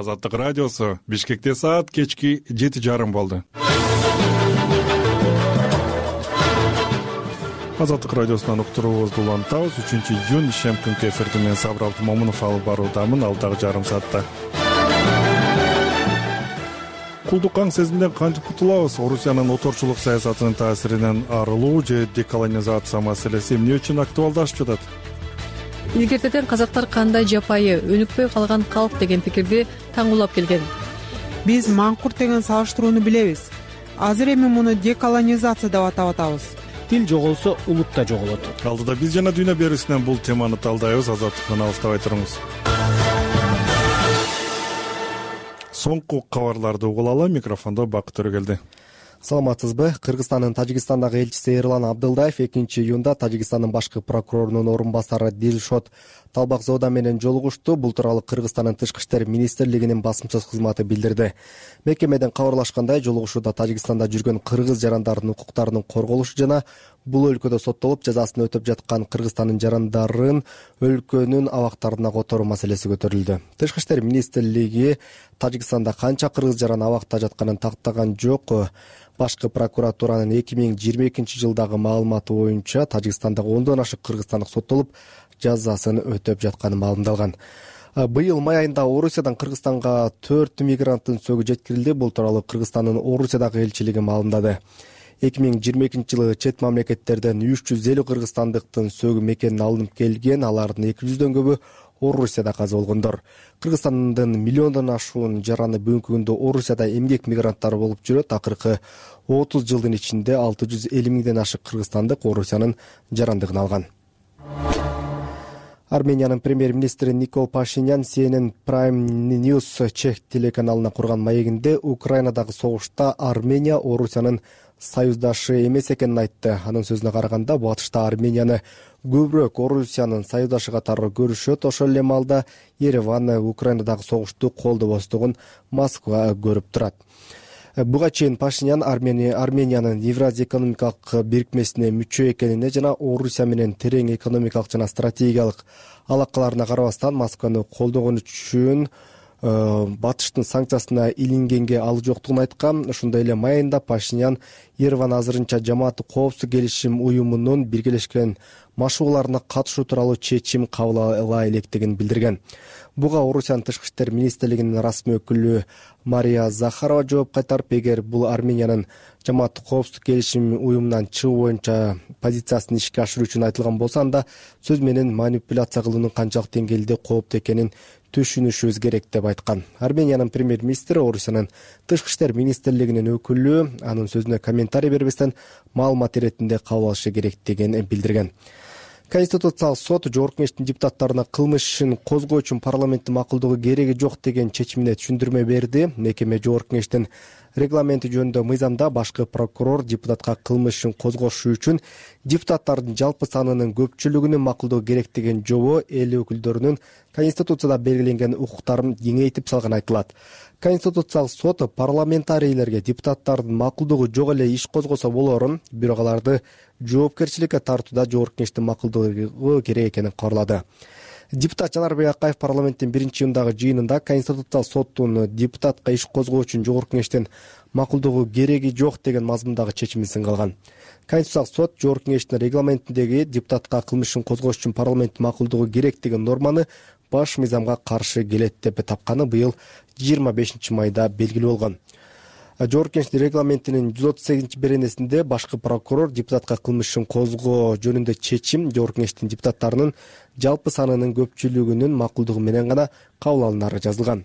Азаттык радиосу Бишкекте саат кечки 7:30 болду. Азаттык радиосунан уктуруубузду улантабыз. 3-июнь ишем күнкү эфирди мен Сабыр Абдымомунов алып баруудамын. Алдагы жарым саатта кулдук аң сезимден кантип кутулабыз? Орусиянын оторчулук саясатынын таасиринен арылуу же деколонизация маселеси эмне үчүн актуалдашып жатат? Илгертеден казактар кандай жапайы, өнүкпөй калган калк деген пикирди таңуулап келген. Биз маңкурт деген салыштырууну билебиз. Азыр эми муну деколонизация деп атап атабыз. Тил жоголсо улут да жоголот. Алдыда биз жана дүйнө берүүсүнөн бул теманы талдайбыз. Азаттыктан алыстабай туруңуз. Соңку кабарларды угулалы. Микрофондо Бакыт Төрөгелди. Саламатсызбы? Кыргызстандын Тажикстандагы элчиси Эрлан Абдылдаев 2-июнда Тажикстандын башкы прокурорунун орун басары Дилшот Талбакзода менен жолугушту. Бул тууралуу Кыргызстандын Тышкы иштер министрлигинин басмачы кызматы билдирди. Мекемеден кабарлашкандай, жолугушууда Тажикстанда жүргөн кыргыз жарандарынын укуктарынын корголушу жана бул өлкөдө соттолуп жазасын өтөп жаткан Кыргызстандын жарандарын өлкөнүн абактарына которуу маселеси көтөрүлдү. Тышкы иштер министрлиги Тажикстанда канча кыргыз жаран абакта жатканын тактаган жок. Башкы прокуратуранын 2022 жылдагы маалыматы боюнча Тажикстандагы 10дон ашык кыргызстандык соттолуп жазасын өтөп жатканы маалымдалган. Быйыл май айында Орусиядан Кыргызстанга 4 мигранттын сөгү жеткирилди. Бул тууралуу Кыргызстандын Орусиядагы элчилиги маалымдады. 2022 жылы чет мамлекеттерден 350 кыргызстандыктын сөгү мекенин алынып келген. Алардын 200дөн көбү Орусияда каза болгондор. Кыргызстандын миллиондон ашуун жараны бүгүнкү күндө Орусияда эмгек мигранттары болуп жүрөт. Акыркы 30 жылдын ичинде 650 миңден ашык кыргызстандык Орусиянын жарандыгын алган. Армениянын премьер-министри Никол Пашинян CNN Prime News чех телеканалына курган маегинде Украинадагы согушта Армения Орусиянын союздашы эмес экенин айтты. Анын сөзүнө караганда, батышта Арменияны көбүрөөк Орусиянын союздашы катары көрүшөт. Ошол эле маалда Ереван Украинадагы согушту колдобостугун Москва көрүп турат. Буга чейин Пашинян Армениянын Евразия экономикалык бирикмесине мүчө экенине жана Орусия менен терең экономикалык жана стратегиялык алакаларына карабастан Москваны колдогон үчүн батыштын санкциясына илингенге ал жоктугун айткан. Ошондой эле май айында Пашинян Ереван азырынча жамааттык коопсуздук келишим уюмунун биргелешкен машыгууларына катышуу тууралуу чечим кабыл ала электигин билдирген. Буга Орусиянын Тышкы иштер министрлигинин расмий өкүлү Мария Захарова жооп кайтарып, эгер бул Армениянын жамааттык коопсуздук келишим уюмунан чыгуу боюнча позициясын ишке ашыруу үчүн айтылган болсо, анда сөз менен манипуляция кылуунун канчалык деңгээлде кооптуу экенин түшүнүшүбүз керек деп айткан. Армениянын премьер-министри Орусиянын Тышкы иштер министрлигинин өкүлү анын сөзүнө комментарий бербестен маалымат иретинде кабыл алышы керектигин билдирген. Конституциялык сот Жогорку Кеңештин депутаттарына кылмыш ишин козгоо үчүн парламенттин макулдугу кереги жок деген чечимине түшүндүрмө берди. Мекеме Жогорку Кеңештин регламенти жөнүндө мыйзамда башкы прокурор депутатка кылмыш ишин козгошу үчүн депутаттардын жалпы санынын көпчүлүгүнүн макулдугу керек деген жобо эл өкүлдөрүнүн Конституцияда белгиленген укуктарын кеңейтип салганы айтылат. Конституциялык сот парламентарийлерге депутаттардын макулдугу жок эле иш козгосо болорун, бирок аларды жоопкерчиликке тартууда Жогорку Кеңештин макулдугу керек экенин кабарлады. Депутат Жанарбек Акаев парламенттин 1-июндагы жыйынында Конституциялык соттун депутатка иш козгоо үчүн Жогорку Кеңештин макулдугу кереги жок деген мазмундагы чечимин сынга алган. Конституциялык сот Жогорку Кеңештин регламентиндеги депутатка кылмышын козгош үчүн парламенттин макулдугу керек деген норманы баш мыйзамга каршы келет деп тапканы быйыл 25 майда белгилүү болгон. Жогорку Кеңештин регламентинин 138 беренесинде башкы прокурор депутатка кылмышын козгоо жөнүндө чечим Жогорку Кеңештин депутаттарынын жалпы санынын көпчүлүгүнүн макулдугу менен гана кабыл алынары жазылган.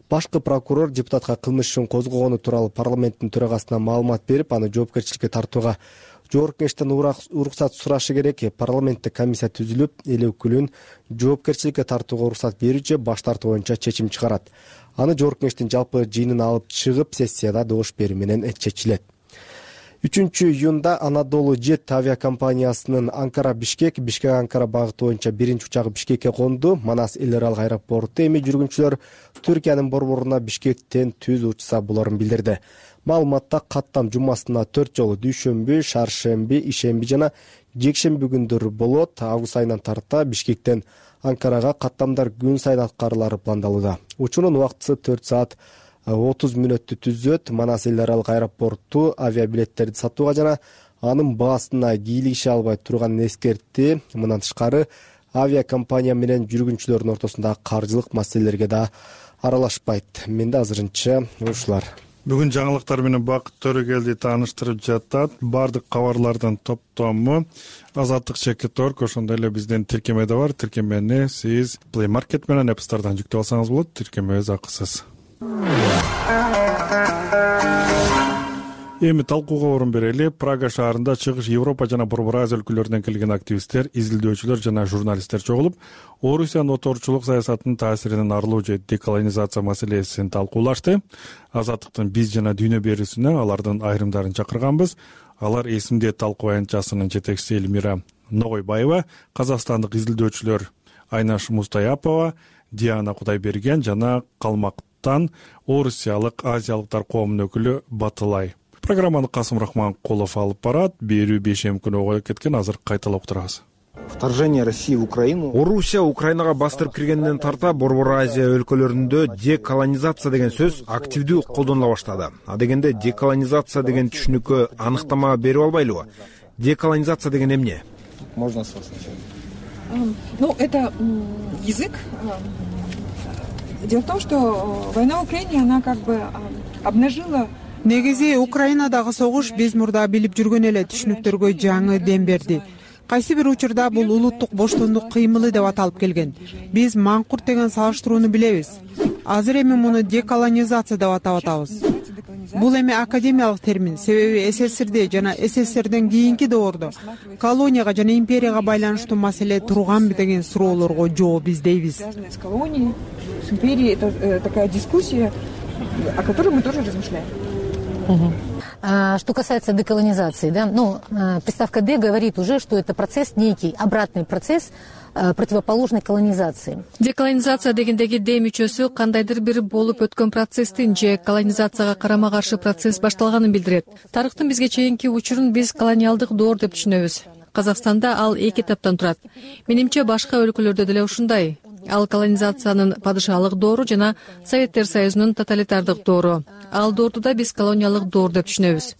Башкы прокурор депутатка кылмышын козгогону тууралуу парламенттин төрагасына маалымат берип, аны жоопкерчиликке тартууга Жогорку Кеңештен уруксат сурашы керек. Парламентте комиссия түзүлүп, эл өкүлүн жоопкерчиликке тартууга уруксат берүүчү баш тартуу боюнча чечим чыгарат. Аны Жогорку Кеңештин жалпы жыйынына алып чыгып, сессияда добуш берүү менен чечилет. 3-июнда Анадолу Жет авиакомпаниясынын Анкара-Бишкек, Бишкек-Анкара багыты боюнча биринчи учагы Бишкекке конду. Манас эл аралык аэропорту эми жүргүнчүлөр Түркиянын борборуна Бишкектен түз учса болорун билдирди. Маалыматта каттам жумасына 4 жолу дүйшөмбү, шаршемби, ишемби жана жекшемби күндөр болот. Август айынан тарта Бишкектен Анкарага каттамдар күн сайын аткарылары пландалууда. Учуунун убактысы 4 саат 30 мүнөттү түзөт. Манас эл аралык аэропорту авиабилеттерди сатууга жана анын баасына кийлигише албай турганын эскертти. Мындан тышкары авиакомпания менен жүргүнчүлөрдүн ортосундагы каржылык маселелерге да аралашпайт. Менде азырынча ушулар. Бүгүн жаңылыктар менен Бакыт Төрөгелди тааныштырып жатат. Бардык кабарлардын топтому Азаттык Чекиторг, ошондой эле биздин тиркеме да бар. Тиркемени сиз Play Market менен App Store'дан жүктөп алсаңыз болот. Тиркемебиз акысыз. Эми талкууга орун берели. Прага шаарында чыгыш Европа жана Борбор Азия өлкөлөрүнөн келген активисттер, изилдөөчүлөр жана журналисттер чогулуп, Орусиянын отурчулук саясатынын таасиринен арылуу же деколонизация маселесин талкуулашты. Азаттыктын биз жана дүйнө берүүсүнө алардын айрымдарын чакырганбыз. Алар эсимде талкуу аянтчасынын жетекчиси Элмира Ногойбаева, казакстандык изилдөөчүлөр Айнаш Мустаяпова, Диана Кудайберген жана Калмактан орусиялык азиялыктар коомунун өкүлү Батылай. Программаны Касым Рахманкулов алып барат. Берүү бейшем күнү ого кеткен, азыр кайталап турабыз. Вторжение России в Украину. Орусия Украинага бастырып киргенден тарта Борбор Азия өлкөлөрүндө деколонизация деген сөз активдүү колдонула баштады. А дегенде деколонизация деген түшүнүккө аныктама берип албайлыбы? Деколонизация деген эмне? Можно с вас начать? Это язык. Дело в том, что война в Украине, она как бы обнажила. Негизи Украинадагы согуш биз мурда билип жүргөн эле түшүнүктөргө жаңы дем берди. Кайсы бир учурда бул улуттук боштондук кыймылы деп аталып келген. Биз маңкурт деген салыштырууну билебиз. Азыр эми муну деколонизация деп атап атабыз. Бул эми академиялык термин, себеби СССРде жана СССРден кийинки доордо колонияга жана империяга байланыштуу маселе турганбы деген суроолорго жооп издейбиз. С колонией, с империей, это такая дискуссия, о которой мы тоже размышляем. Что касается деколонизации, да, приставка «д» говорит уже, что это процесс некий, обратный процесс противоположной колонизации. Деколонизация дегендеги «д» мүчөсү кандайдыр бир болуп өткөн процесстин же колонизацияга карама каршы процесс башталганын билдирет. Тарыхтын бизге чейинки учурун биз колониалдык доор деп түшүнөбүз. Казакстанда ал эки этаптан турат. Менимче башка өлкөлөрдө деле ушундай. Ал колонизациянын падышалык доору жана Советтер Союзунун тоталитардык доору. Ал доорду да биз колониялык доор деп түшүнөбүз.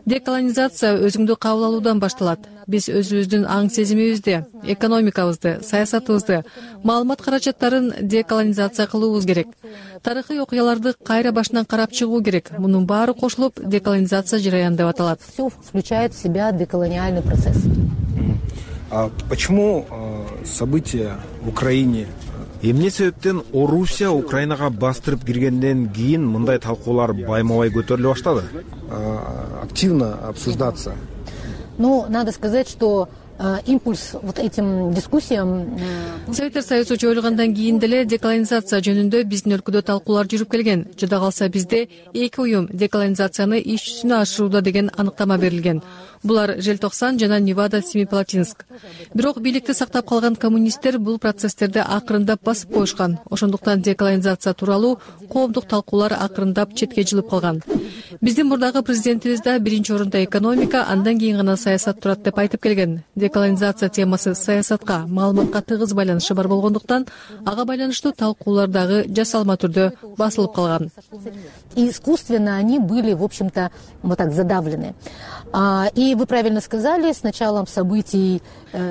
Деколонизация өзүңдү кабыл алуудан башталат. Биз өзүбүздүн аң сезимибизди, экономикабызды, саясатыбызды, маалымат каражаттарын деколонизация кылуубуз керек. Тарыхый окуяларды кайра башынан карап чыгуу керек. Мунун баары кошулуп деколонизация жараяны деп аталат. Все включает в себя деколониальный процесс. А почему события в Украине? Эмне себептен Орусия Украинага бастырып киргенден кийин мындай талкуулар байма-бай көтөрүлө баштады? Активно обсуждаться. Надо сказать, что импульс вот этим дискуссиям. Советтер Союзу жоюлгандан кийин деле деколонизация жөнүндө биздин өлкөдө талкуулар жүрүп келген. Жада калса бизде эки уюм деколонизацияны иш жүзүнө ашырууда деген аныктама берилген. Булар Желтоксан жана Невада-Семипалатинск. Бирок бийликти сактап калган коммунисттер бул процесстерди акырындап басып коюшкан. Ошондуктан деколонизация тууралуу коомдук талкуулар акырындап четке жылып калган. Биздин мурдагы президентибиз да биринчи орунда экономика, андан кийин гана саясат турат деп айтып келген. Деколонизация темасы саясатка, маалыматка тыгыз байланышы бар болгондуктан ага байланыштуу талкуулар дагы жасалма түрдө басылып калган. И искусственно они были, в общем-то, вот так задавлены. И вы правильно сказали, с началом событий...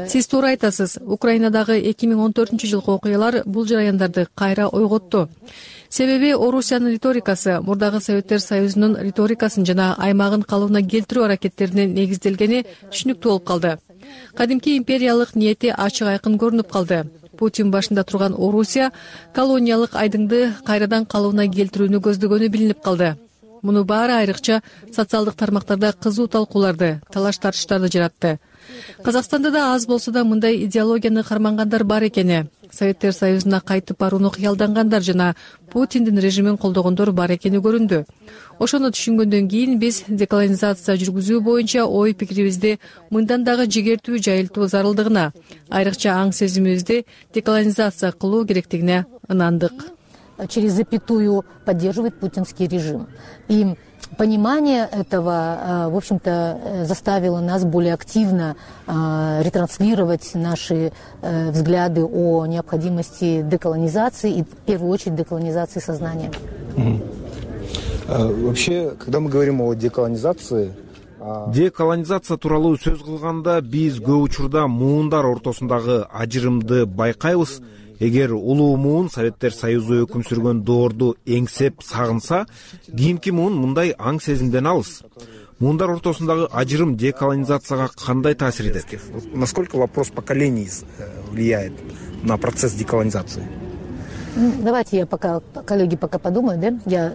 Сиз туура айтасыз. Украинадагы 2014-жылкы окуялар бул жараяндарды кайра ойготту. Себеби Орусиянын риторикасы мурдагы Советтер Союзунун риторикасын жана аймагын калыбына келтирүү аракеттерине негизделгени түшүнүктүү болуп калды. Кадимки империялык ниети ачык айкын көрүнүп калды. Путин башында турган Орусия колониялык айдыңды кайрадан калыбына келтирүүнү көздөгөнү билинип калды. Муну баары айрыкча социалдык тармактарда кызуу талкууларды, талаш-тартыштарды жаратты. Казакстанда да аз болсо да мындай идеологияны кармангандар бар экени, Советтер Союзуна кайтып барууну кыялдангандар жана Путиндин режимин колдогондор бар экени көрүндү. Ошону түшүнгөндөн кийин биз деколонизация жүргүзүү боюнча ой пикирибизди мындан дагы жигертүү жайылтуу зарылдыгына, айрыкча аң сезимибизди деколонизация кылуу керектигине ынандык. Через запятую поддерживает путинский режим. И понимание этого, в общем-то, заставило нас более активно ретранслировать наши взгляды о необходимости деколонизации и, в первую очередь, деколонизации сознания. Вообще, когда мы говорим о деколонизации... Деколонизация тууралуу сөз кылганда биз көп учурда муундар ортосундагы ажырымды байкайбыз. Эгер улуу муун Советтер Союзу өкүм сүргөн доорду эңсеп сагынса, кийинки муун мындай аң сезимден алыс. Муундар ортосундагы ажырым деколонизацияга кандай таасир этет? Насколько вопрос поколений влияет на процесс деколонизации? Давайте я пока, коллеги, пока подумают, да? Я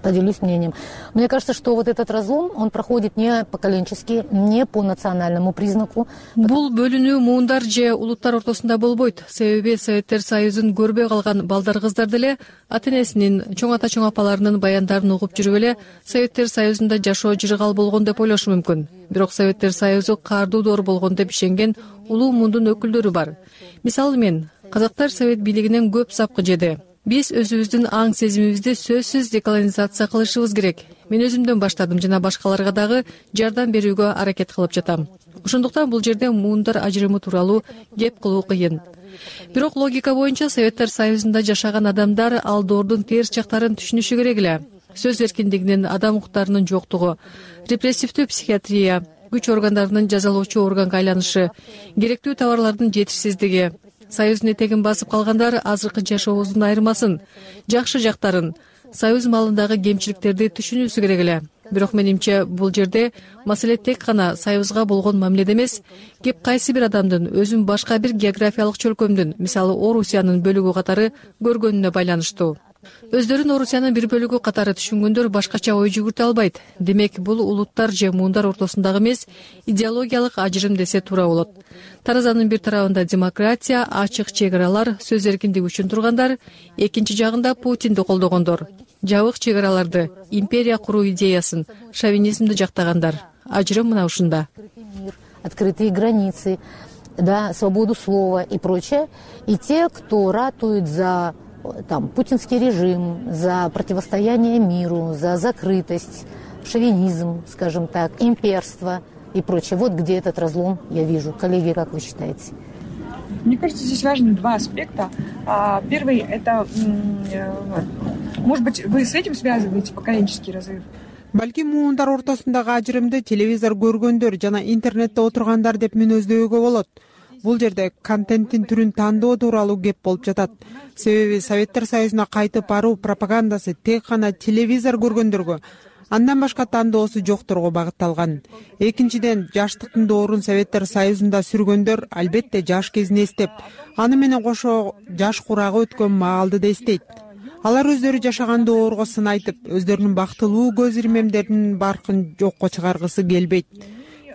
поделюсь мнением. Мне кажется, что вот этот разлом, он проходит не поколенчески, не по национальному признаку. Бул бөлүнүү муундар же улуттар ортосунда болбойт. Себеби Советтер Союзун көрбөй калган балдар кыздар деле ата-энесинин, чоң ата чоң апаларынын баяндарын угуп жүрүп эле Советтер Союзунда жашоо жыргал болгон деп ойлошу мүмкүн. Бирок Советтер Союзу каардуу доор болгон деп ишенген улуу муундун өкүлдөрү бар. Мисалы мен казактар совет бийлигинен көп сапкы жеди. Биз өзүбүздүн аң сезимибизди сөзсүз деколонизация кылышыбыз керек. Мен өзүмдөн баштадым жана башкаларга дагы жардам берүүгө аракет кылып жатам. Ошондуктан бул жерде муундар ажырымы тууралуу кеп кылуу кыйын. Бирок логика боюнча Советтер Союзунда жашаган адамдар ал доордун терс жактарын түшүнүшү керек эле. Сөз эркиндигинин, адам укуктарынын жоктугу, репрессивдүү психиатрия, күч органдарынын жазалоочу органга айланышы, керектүү товарлардын жетишсиздиги, Союздун этегин басып калгандар азыркы жашообуздун айырмасын, жакшы жактарын, Союз малындагы кемчиликтерди түшүнүүсү керек эле. Бирок менимче бул жерде маселе тек гана Союзга болгон мамиледе эмес, кеп кайсы бир адамдын өзүн башка бир географиялык чөлкөмдүн, мисалы Орусиянын бөлүгү катары көргөнүнө байланыштуу. Өздөрүн Орусиянын бир бөлүгү катары түшүнгөндөр башкача ой жүгүртө албайт. Демек, бул улуттар же муундар ортосундагы эмес, идеологиялык ажырым десе туура болот. Таразанын бир тарабында демократия, ачык чек аралар, сөз эркиндиги үчүн тургандар, экинчи жагында Путинди колдогондор. Жабык чек араларды, империя куруу идеясын, шовинизмди жактагандар. Ажырым мына ушунда. Открытые границы, да, свободу слова и прочее. И те, кто ратует за путинский режим, за противостояние миру, за закрытость, шовинизм, скажем так, имперство и прочее. Вот где этот разлом я вижу. Коллеги, как вы считаете? Мне кажется, здесь важны два аспекта. Первый – это, может быть, вы с этим связываете поколенческий разрыв? Балки муундар ортосундагы ажырымды телевизор көргөндөр жана интернетте отургандар деп мүнөздөөгө болот. Бул жерде контенттин түрүн тандоо тууралуу кеп болуп жатат. Себеби Советтер Союзуна кайтып баруу пропагандасы тек гана телевизор көргөндөргө, андан башка тандоосу жокторго багытталган. Экинчиден, жаштыктын доорун Советтер Союзунда сүргөндөр албетте жаш кезин эстеп, аны менен кошо жаш курагы өткөн маалды да эстейт. Алар өздөрү жашаган доорго сын айтып, өздөрүнүн бактылуу көз ирмемдеринин баркын жокко чыгаргысы келбейт.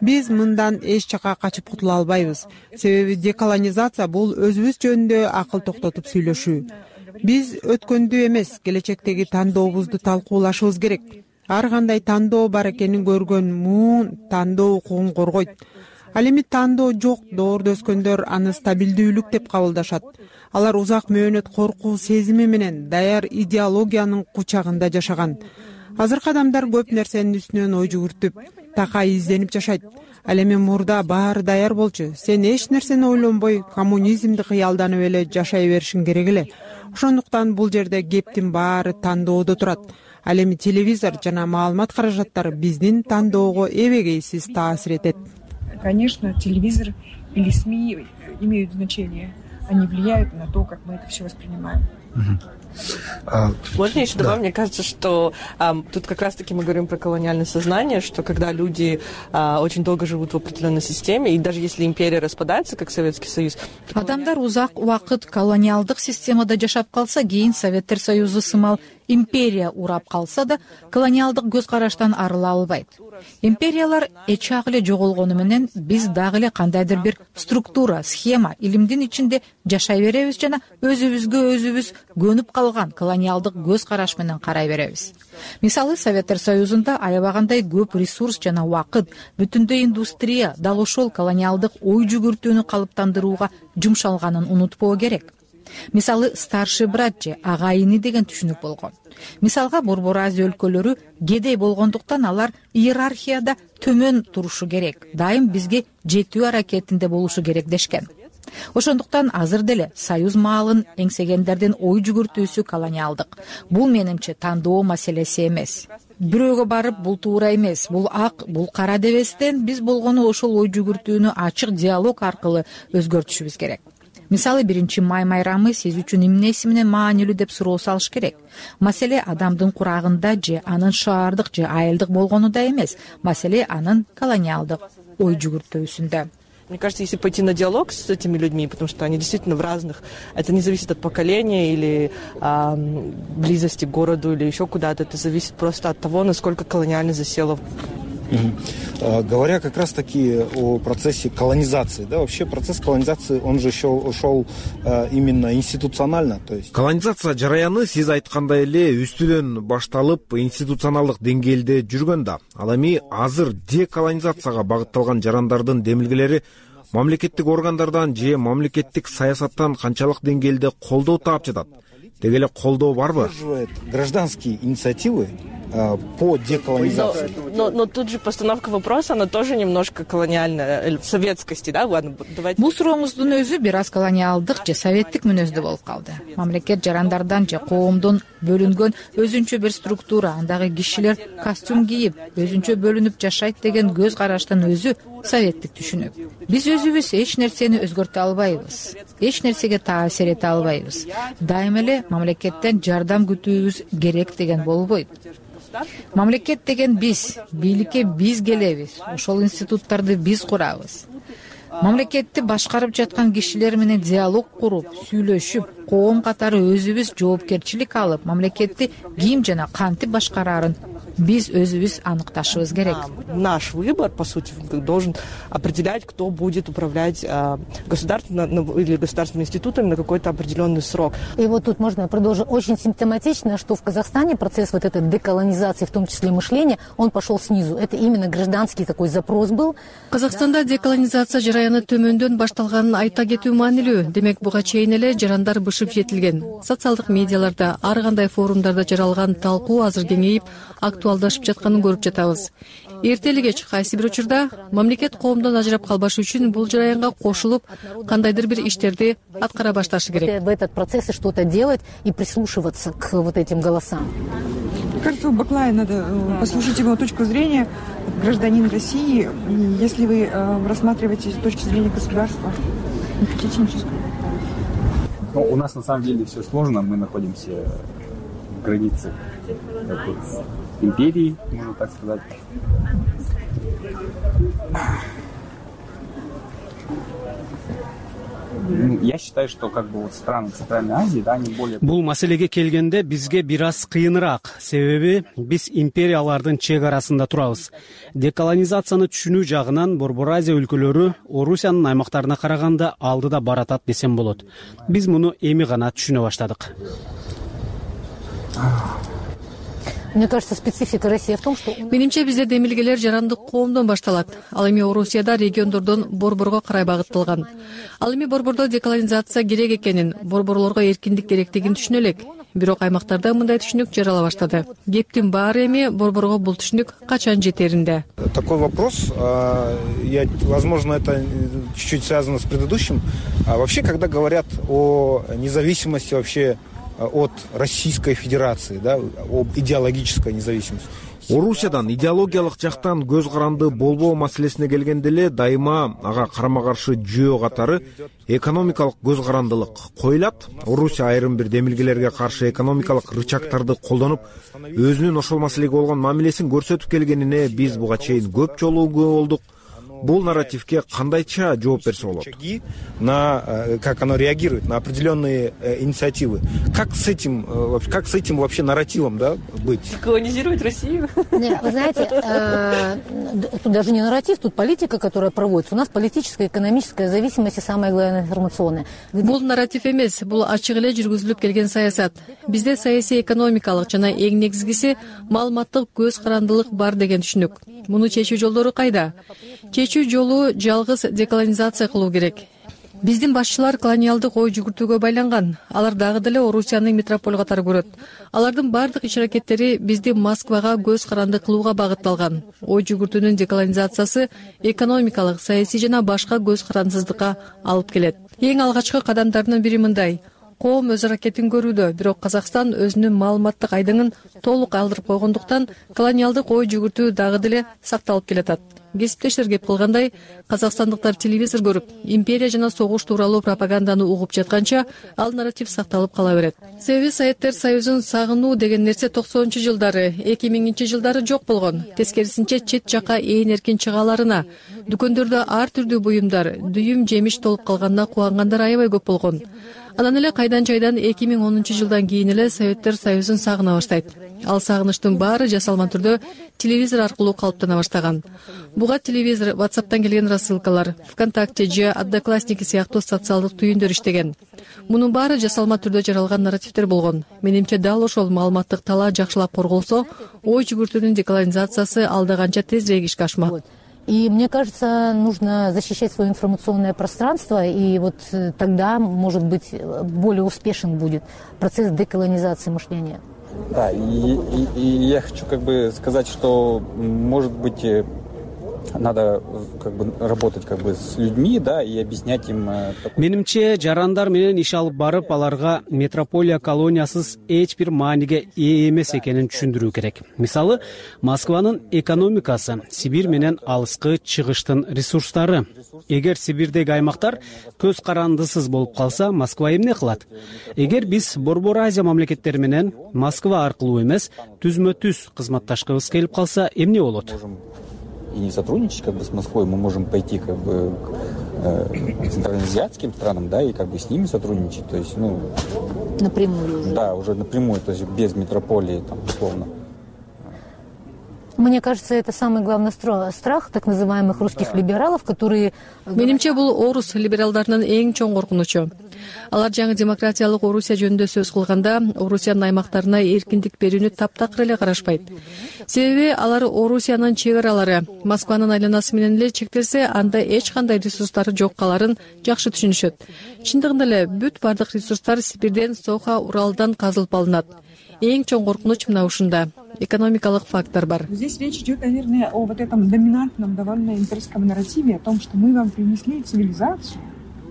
Биз мындан эч жака качып кутула албайбыз. Себеби деколонизация бул өзүбүз жөнүндө акыл токтотуп сүйлөшүү. Биз өткөндү эмес, келечектеги тандообузду талкуулашыбыз керек. Ар кандай тандоо бар экенин көргөн муун тандоо укугун коргойт. Ал эми тандоо жок доордо өскөндөр аны стабилдүүлүк деп кабылдашат. Алар узак мөөнөт коркуу сезими менен даяр идеологиянын кучагында жашаган. Азыркы адамдар көп нерсенин үстүнөн ой жүгүртүп, такай изденип жашайт. Ал эми мурда баары даяр болчу. Сен эч нерсени ойлонбой, коммунизмди кыялданып эле жашай беришиң керек эле. Ошондуктан бул жерде кептин баары тандоодо турат. Ал эми телевизор жана маалымат каражаттары биздин тандоого эбегейсиз таасир этет. Конечно, телевизор или СМИ имеют значение. Они влияют на то, как мы это все воспринимаем. Можно еще добавить? Мне кажется, что тут как раз-таки мы говорим про колониальное сознание, что когда люди очень долго живут в определенной системе, и даже если империя распадается, как Советский Союз... Адамдар узак убакыт колониалдык системада жашап калса, кийин Советтер Союзу сымал империя урап калса да, колониалдык көз караштан арыла албайт. Империялар эчак эле жоголгону менен биз дагы эле кандайдыр бир структура, схема, илимдин ичинде жашай беребиз жана өзүбүзгө өзүбүз көнүп калган колониалдык көз караш менен карай беребиз. Мисалы, Советтер Союзунда аябагандай көп ресурс жана убакыт, бүтүндөй индустрия дал ошол колониалдык ой жүгүртүүнү калыптандырууга жумшалганын унутпоо керек. Мисалы, старший брат же агайыны деген түшүнүк болгон. Мисалга, Борбор Азия өлкөлөрү кедей болгондуктан алар иерархияда төмөн турушу керек, дайым бизге жетүү аракетинде болушу керек дешкен. Ошондуктан азыр деле союз маалын эңсегендердин ой жүгүртүүсү колониалдык. Бул менимче тандоо маселеси эмес. Бирөөгө барып бул туура эмес, бул ак, бул кара дебестен биз болгону ошол ой жүгүртүүнү ачык диалог аркылуу өзгөртүшүбүз керек. Мисалы, 1 май майрамы сиз үчүн эмнеси менен маанилүү деп суроо салыш керек. Маселе адамдын курагында же анын шаардык же айылдык болгонуда эмес, маселе анын колониалдык ой жүгүртүүсүндө. Мне кажется, если пойти на диалог с этими людьми, потому что они действительно в разных, это не зависит от поколения или близости к городу или еще куда-то, это зависит просто от того, насколько колониально засело. Говоря как раз-таки о процессе колонизации, да, вообще процесс колонизации, он же шел именно институционально, то есть... Колонизация жараяны сиз айткандай эле үстүдөн башталып институционалдык деңгээлде жүргөн да. Ал эми азыр деколонизацияга багытталган жарандардын демилгелери мамлекеттик органдардан же мамлекеттик саясаттан канчалык деңгээлде колдоо таап жатат? Деги эле колдоо барбы? Гражданские инициативы по деколонизации. Но тут же постановка вопроса, она тоже немножко колониальная, в советскости, да? Ладно, давайте... Бул сурооңуздун өзү бир аз колониалдык же советтик мүнөздө болуп калды. Мамлекет жарандардан же коомдон бөлүнгөн өзүнчө бир структура, андагы кишилер костюм кийип, өзүнчө бөлүнүп жашайт деген көз караштан өзү советтик түшүнүк. Биз өзүбүз эч нерсени өзгөртө албайбыз, эч нерсеге таасир эте албайбыз. Дайым эле мамлекеттен жардам күтүүбүз керек деген болбойт. Мамлекет деген биз, бийликке биз келебиз, ошол институттарды биз курабыз. Мамлекетти башкарып жаткан кишилер менен диалог куруп, сүйлөшүп, коом катары өзүбүз жоопкерчилик алып, мамлекетти ким жана кантип башкарарын биз өзүбүз аныкташыбыз керек. Наш выбор, по сути, должен определять, кто будет управлять государственным или государственными институтами на какой-то определенный срок. И вот тут можно продолжить. Очень симптоматично, что в Казахстане процесс вот этой деколонизации, в том числе мышления, он пошел снизу. Это именно гражданский такой запрос был. Казахстанда деколонизация жараяны төмөндөн башталганын айта кетүү маанилүү. Демек, буга чейин эле жарандар бышып жетилген. Социалдык медиаларда, ар кандай форумдарда жаралган талкуу азыр кеңейип, актуалдашып жатканын көрүп жатабыз. Эртели кеч кайсы бир учурда мамлекет коомдон ажырап калбаш үчүн бул жараянга кошулуп, кандайдыр бир иштерди аткара башташы керек. В этот процесс что-то делать и прислушиваться к вот этим голосам. Мне кажется, у Баклая надо послушать его точку зрения, гражданин России, если вы рассматриваете с точки зрения государства техническую. Ну, у нас на самом деле все сложно, мы находимся в границе империи, можно так сказать. Я считаю, что как бы вот страны Центральной Азии, да, они более... Бул маселеге келгенде бизге бир аз кыйыныраак, себеби биз империялардын чек арасында турабыз. Деколонизацияны түшүнүү жагынан Борбор Азия өлкөлөрү Орусиянын аймактарына караганда алдыда баратат десем болот. Биз муну эми гана түшүнө баштадык. Мне кажется, специфика России в том, что... Менимче бизде демилгелер жарандык коомдон башталат. Ал эми Орусияда региондордон борборго карай багытталган. Ал эми борбордо деколонизация керек экенин, борборлорго эркиндик керектигин түшүнө элек. Бирок аймактарда мындай түшүнүк жарала баштады. Кептин баары эми борборго бул түшүнүк качан жетеринде. Такой вопрос, возможно, это чуть-чуть связано с предыдущим. Вообще, когда говорят о независимости вообще от Российской Федерации, да, об идеологической независимости. Орусиядан идеологиялык жактан көз каранды болбоо маселесине келгенде эле дайыма ага карама каршы жөө катары экономикалык көз карандылык коюлат. Орусия айрым бир демилгелерге каршы экономикалык рычагтарды колдонуп, өзүнүн ошол маселеге болгон мамилесин көрсөтүп келгенине биз буга чейин көп жолу күбө болдук. Бул нарративке кандайча жооп берсе болот? Как оно реагирует на определенные инициативы? Как с этим вообще нарративом, да, быть? Колонизировать Россию? Нет, вы знаете, тут даже не нарратив, тут политика, которая проводится. У нас политическая, экономическая зависимость и самое главное информационная. Бул нарратив эмес, бул ачык эле жүргүзүлүп келген саясат. Бизде саясий экономикалык жана эң негизгиси маалыматтык көз карандылык бар деген түшүнүк. Муну чечүү жолдору кайда? Чечүү жолу жалгыз деколонизация кылуу керек. Биздин башчылар колониалдык ой жүгүртүүгө байланган. Алар дагы деле Орусияны метрополь катары көрөт. Алардын бардык иш-аракеттери бизди Москвага көз каранды кылууга багытталган. Ой жүгүртүүнүн деколонизациясы экономикалык, саясий жана башка көз карандысыздыкка алып келет. Эң алгачкы кадамдардын бири мындай: коом өз аракетин көрүүдө, бирок Казакстан өзүнүн маалыматтык айдыңын толук алдырып койгондуктан колониалдык ой жүгүртүү дагы деле сакталып келатат. Кесиптештер кеп кылгандай, казакстандыктар телевизор көрүп, империя жана согуш тууралуу пропаганданы угуп жатканча, ал нарратив сакталып кала берет. Себеби Советтер Союзун сагынуу деген нерсе 90-жылдары, 2000-жылдары жок болгон. Тескерисинче чет жака ээн эркин чыгааларына, дүкөндөрдө ар түрдүү буюмдар, дүйүм жемиш толуп калганына кубангандар аябай көп болгон. Анан эле кайдан жайдан 2010-жылдан кийин эле Советтер Союзун сагына баштайт. Ал сагынычтын баары жасалма түрдө телевизор аркылуу калыптана баштаган. Буга телевизор, WhatsApp'тан келген рассылкалар, ВКонтакте же Одноклассники сыяктуу социалдык түйүндөр иштеген. Мунун баары жасалма түрдө жаралган нарративдер болгон. Менимче дал ошол маалыматтык талаа жакшылап корголсо, ой жүгүртүүнүн деколонизациясы алда канча тезирээк ишке ашмак. И мне кажется, нужно защищать свое информационное пространство, и вот тогда, может быть, более успешен будет процесс деколонизации мышления. Да, и я хочу сказать, что, может быть, надо работать с людьми, да, и объяснять им. Менимче жарандар менен иш алып барып, аларга метрополия колониясыз эч бир мааниге ээ эмес экенин түшүндүрүү керек. Мисалы, Москванын экономикасы, Сибирь менен алыскы чыгыштын ресурстары. Эгер Сибирдеги аймактар көз карандысыз болуп калса, Москва эмне кылат? Эгер биз Борбор Азия мамлекеттери менен Москва аркылуу эмес, түзмө-түз кызматташкыбыз келип калса, эмне болот? И не сотрудничать с Москвой, мы можем пойти к центральноазиатским странам, да, и с ними сотрудничать, то есть, напрямую. Да, уже напрямую, то есть без метрополии, условно. Мне кажется, это самый главный страх так называемых русских либералов, которые... Менимче бул орус либералдарынын эң чоң коркунучу. Алар жаңы демократиялык Орусия жөнүндө сөз кылганда, Орусиянын аймактарына эркиндик берүүнү таптакыр эле карашпайт. Себеби алар Орусиянын чек аралары Москванын айланасы менен эле чектелсе, анда эч кандай ресурстары жок каларын жакшы түшүнүшөт. Чындыгында эле бүт бардык ресурстар Сибирден, Соха, Уралдан казылып алынат. Эң чоң коркунуч мына ушунда. Экономикалык фактор бар. Здесь речь идет, наверное, о вот этом доминантном довольно имперском нарративе, о том, что мы вам принесли цивилизацию.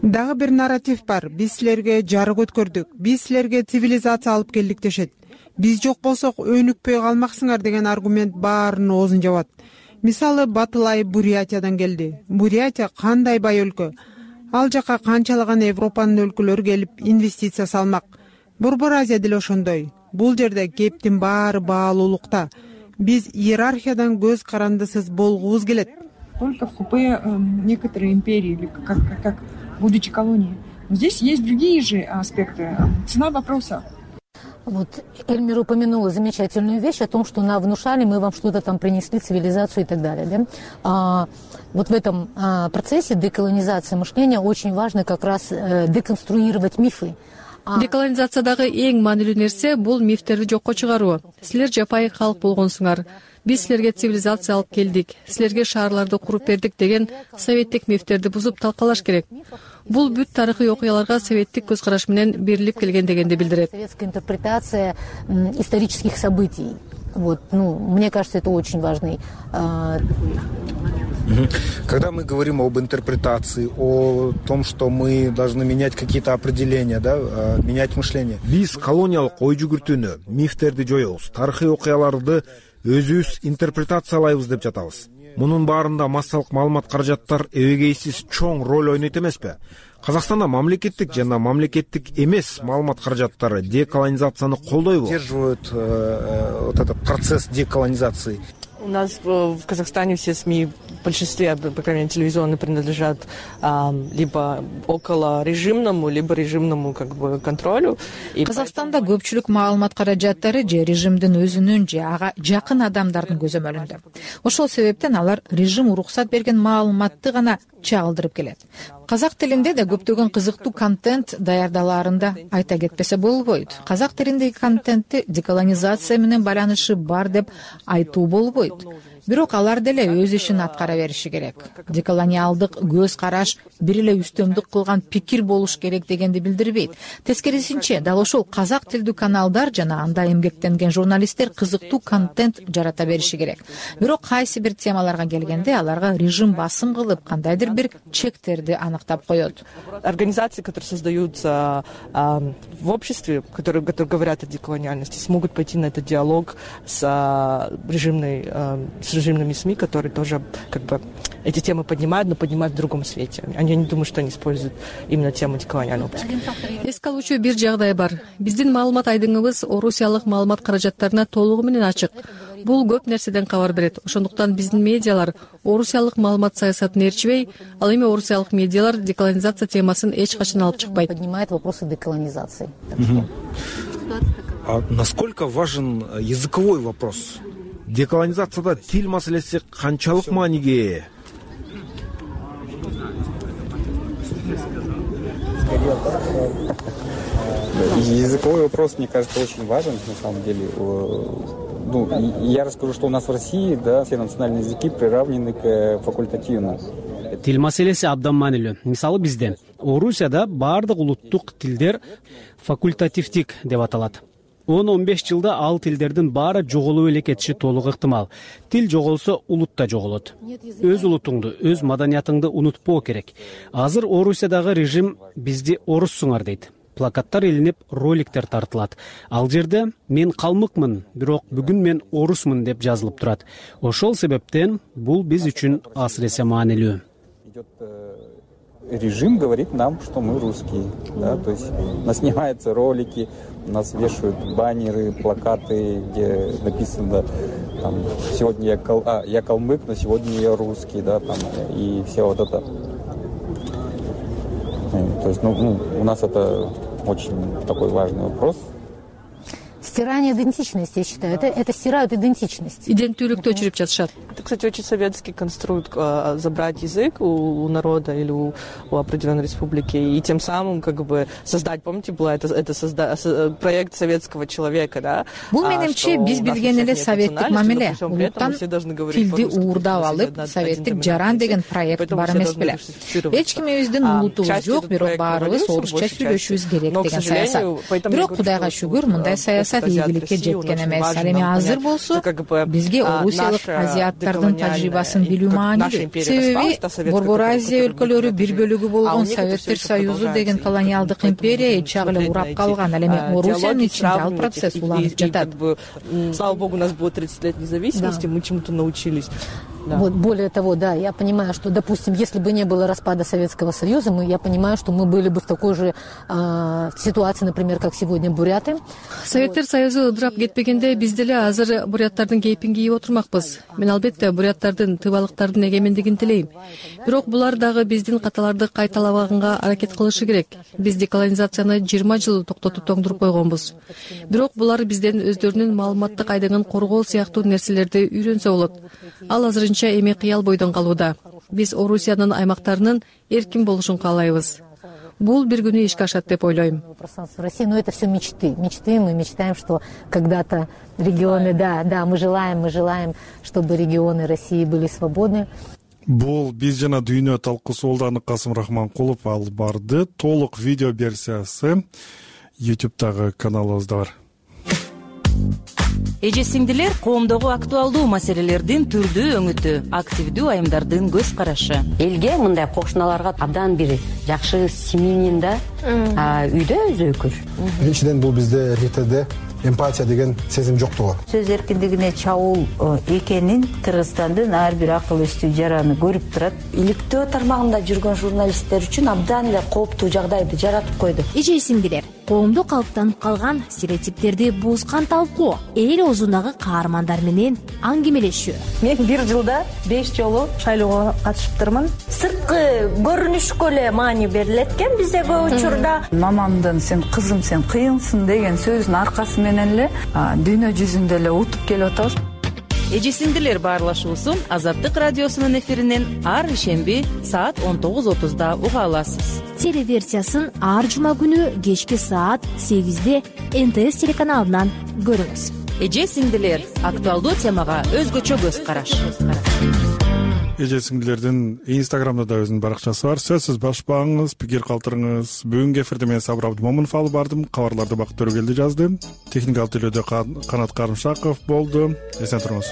Дагы бир нарратив бар. Биз силерге жарык өткөрдүк. Биз силерге цивилизация алып келдик дешет. Биз жок болсок өнүкпөй калмаксыңар деген аргумент баарынын оозун жабат. Мисалы, Батылай Бурятиядан келди. Бурятия кандай бай өлкө. Ал жака канчалаган Европанын өлкөлөрү келип инвестиция салмак. Борбор Азия деле ошондой. Бул жерде кептин баары баалуулукта. Биз иерархиядан көз карандысыз болгубуз келет. Только в купе некоторые империи, или как будучи колонией. Но здесь есть другие же аспекты. Цена вопроса. Вот Эльмир упомянула замечательную вещь о том, что внушали, мы вам что-то там принесли, цивилизацию и так далее. Да? Вот в этом процессе деколонизации мышления очень важно как раз деконструировать мифы. Деколонизациядагы эң маанилүү нерсе бул мифтерди жокко чыгаруу. Силер жапайы калк болгонсуңар. Биз силерге цивилизация алып келдик, силерге шаарларды куруп бердик деген советтик мифтерди бузуп талкалаш керек. Бул бүт тарыхый окуяларга советтик көз караш менен берилип келген дегенди билдирет. Советская интерпретация исторических событий. Мне кажется, это очень важный. Когда мы говорим об интерпретации, о том, что мы должны менять какие-то определения, менять мышление. Биз колониялык ой жүгүртүүнү, мифтерди жоебуз, тарыхый окуяларды өзүбүз интерпретациялайбыз деп жатабыз. Мунун баарында массалык маалымат каражаттар эбегейсиз чоң роль ойнойт эмеспи? Казакстанда мамлекеттик жана мамлекеттик эмес маалымат каражаттары деколонизацияны колдойбу? Поддерживают вот этот процесс деколонизации. У нас в Казахстане все СМИ, в большинстве, по крайней мере, телевизионные, принадлежат либо около режимному, либо режимному контролю. Казакстанда көпчүлүк маалымат каражаттары же режимдин өзүнүн же ага жакын адамдардын көзөмөлүндө. Ошол себептен алар режим уруксат берген маалыматты гана чагылдырып келет. Казак тилинде да көптөгөн кызыктуу контент даярдалаарында айта кетпесе болбойт. Казак тилиндеги контентти деколонизация менен байланышы бар деп айтуу болбойт. Бирок алар деле өз ишин аткара бериши керек. Деколониалдык көз караш бир эле үстөмдүк кылган пикир болуш керек дегенди билдирбейт. Тескерисинче, дал ошол казак тилдүү каналдар жана анда эмгектенген журналисттер кызыктуу контент жарата бериши керек. Бирок кайсы бир темаларга келгенде аларга режим басым кылып кандайдыр бир чектерди аныктап коет. Организации, которые создаются в обществе, которые говорят о деколониальности, смогут пойти на этот диалог с режимными СМИ, которые тоже эти темы поднимают, но поднимают в другом свете. Они не думают, что они используют именно тему деколониального общества. Эске алуучу бир жагдай бар. Биздин маалымат айдыңыбыз орусиялык маалымат каражаттарына толугу менен ачык. Бул көп нерседен кабар берет. Ошондуктан биздин медиалар орусиялык маалымат саясатын ээрчибей, ал эми орусиялык медиалар деколонизация темасын эч качан алып чыкпайт. Поднимает вопросы деколонизации. Насколько важен языковой вопрос? Деколонизацияда тил маселеси канчалык мааниге ээ? Языковой вопрос, мне кажется, очень важен, на самом деле. Я расскажу, что у нас в России, все национальные языки приравнены к факультативным. Тил маселеси абдан маанилүү. Мисалы бизде Орусияда баардык улуттук тилдер факультативдик деп аталат. 10-15 жылда ал тилдердин баары жоголуп эле кетиши толук ыктымал. Тил жоголсо, улут да жоголот. Өз улутуңду, өз маданиятыңды унутпоо керек. Азыр Орусиядагы режим бизди оруссуңар дейт. Плакаттар илинип, роликтер тартылат. Ал жерде мен калмыкмын, бирок бүгүн мен орусмун деп жазылып турат. Ошол себептен бул биз үчүн асыресе маанилүү. Режим говорит нам, что мы русские, то есть у нас снимаются ролики, у нас вешают баннеры, плакаты, где написано сегодня я калмык, но сегодня я русский, и все вот это. То есть, у нас это очень такой важный вопрос. Стирание идентичности, я считаю. Это стирают идентичность. Иденттүүлүктү өчүрүп жатышат. Это, кстати, очень советский конструкт, забрать язык у народа или у определенной республики и тем самым создать, помните, был проект советского человека, да? Бул менимче биз билген эле советтик мамиле. Улуттан тилди уурдап алып, советтик жаран деген проект бар эмес беле. Эч кимибиздин улутубуз жок, бирок баарыбыз орусча сүйлөшүбүз керек деген саясат. Бирок Кудайга шүгүр, мындай саясат ийгиликке жеткен эмес. Ал эми азыр болсо бизге орусиялык азиаттардын тажрыйбасын билүү маанилүү. Себеби Борбор Азия өлкөлөрү бир бөлүгү болгон Советтер Союзу деген колониалдык империя эч жагы эле урап калган. Ал эми Орусиянын ичинде ал процесс уланып жатат. Слава богу, у нас было 30 лет независимости, мы чему-то научились. Более того, я понимаю, что, допустим, если бы не было распада Советского Союза, я понимаю, что мы были бы в такой же ситуации, например, как сегодня буряты. Советтер Союзу ыдырап кетпегенде биз деле азыр буряттардын кейпин кийип отурмакпыз. Мен албетте буряттардын, тывалыктардын эгемендигин тилейм. Бирок булар дагы биздин каталарды кайталабаганга аракет кылышы керек. Биз деколонизацияны 20 жыл токтотуп тоңдуруп койгонбуз. Бирок булар бизден өздөрүнүн маалыматтык айдыгын коргоо сыяктуу нерселерди үйрөнсө болот. Ал азырынча эми кыял бойдон калууда. Биз Орусиянын аймактарынын эркин болушун каалайбыз. бул бир күнү ишке ашат деп ойлойм. Пространство России, но это все мечты. Мы мечтаем, что когда-то регионы, да, мы желаем, чтобы регионы России были свободны. Бул биз жана дүйнө талкуусу болду. Касым Рахманкулов алып барды. Толук видео версиясы YouTube'дагы каналыбызда бар. Эже сиңдилер коомдогу актуалдуу маселелердин түрдүү өңүтү, активдүү айымдардын көз карашы. Элге мындай кошуналарга абдан бир жакшы семьянин да үйдө өзөкүл. Биринчиден бул бизде эркектерде эмпатия деген сезим жоктугу. Сөз эркиндигине чабуул экенин Кыргызстандын ар бир акыл эстүү жараны көрүп турат. Иликтөө тармагында жүргөн журналисттер үчүн абдан эле кооптуу жагдайды жаратып койду. Эже сиңдилер, коомдо калыптанып калган стереотиптерди бузган талкуу, эл оозундагы каармандар менен аңгемелешүү. Мен бир жылда 5 жолу шайлоого катышыптырмын. Сырткы көрүнүшкө эле маани берилет экен бизде көп учурда. Мамамдын сен кызым сен кыйынсың деген сөзүнүн аркасы менен эле дүйнө жүзүндө эле утуп келип атабыз. Эже сиңдилер баарлашуусун Азаттык радиосунун эфиринен ар ишемби саат 19:30 уга аласыз. Телеверсиясын ар жума күнү кечки саат 8-де НТС телеканалынан көрүңүз. Эже сиңдилер актуалдуу темага өзгөчө көз караш. Эже сиңдилердин Инстаграмда да өзүнүн баракчасы бар. Сөзсүз башпаңыз, пикир калтырыңыз. Бүгүнкү эфирде мен Сабыр Абдымомунов алып бардым. Кабарларды Бакыт Төрөгелди жазды. Техникалык тейлөөдө Канат Карымшаков болду. Эсен туруңуз.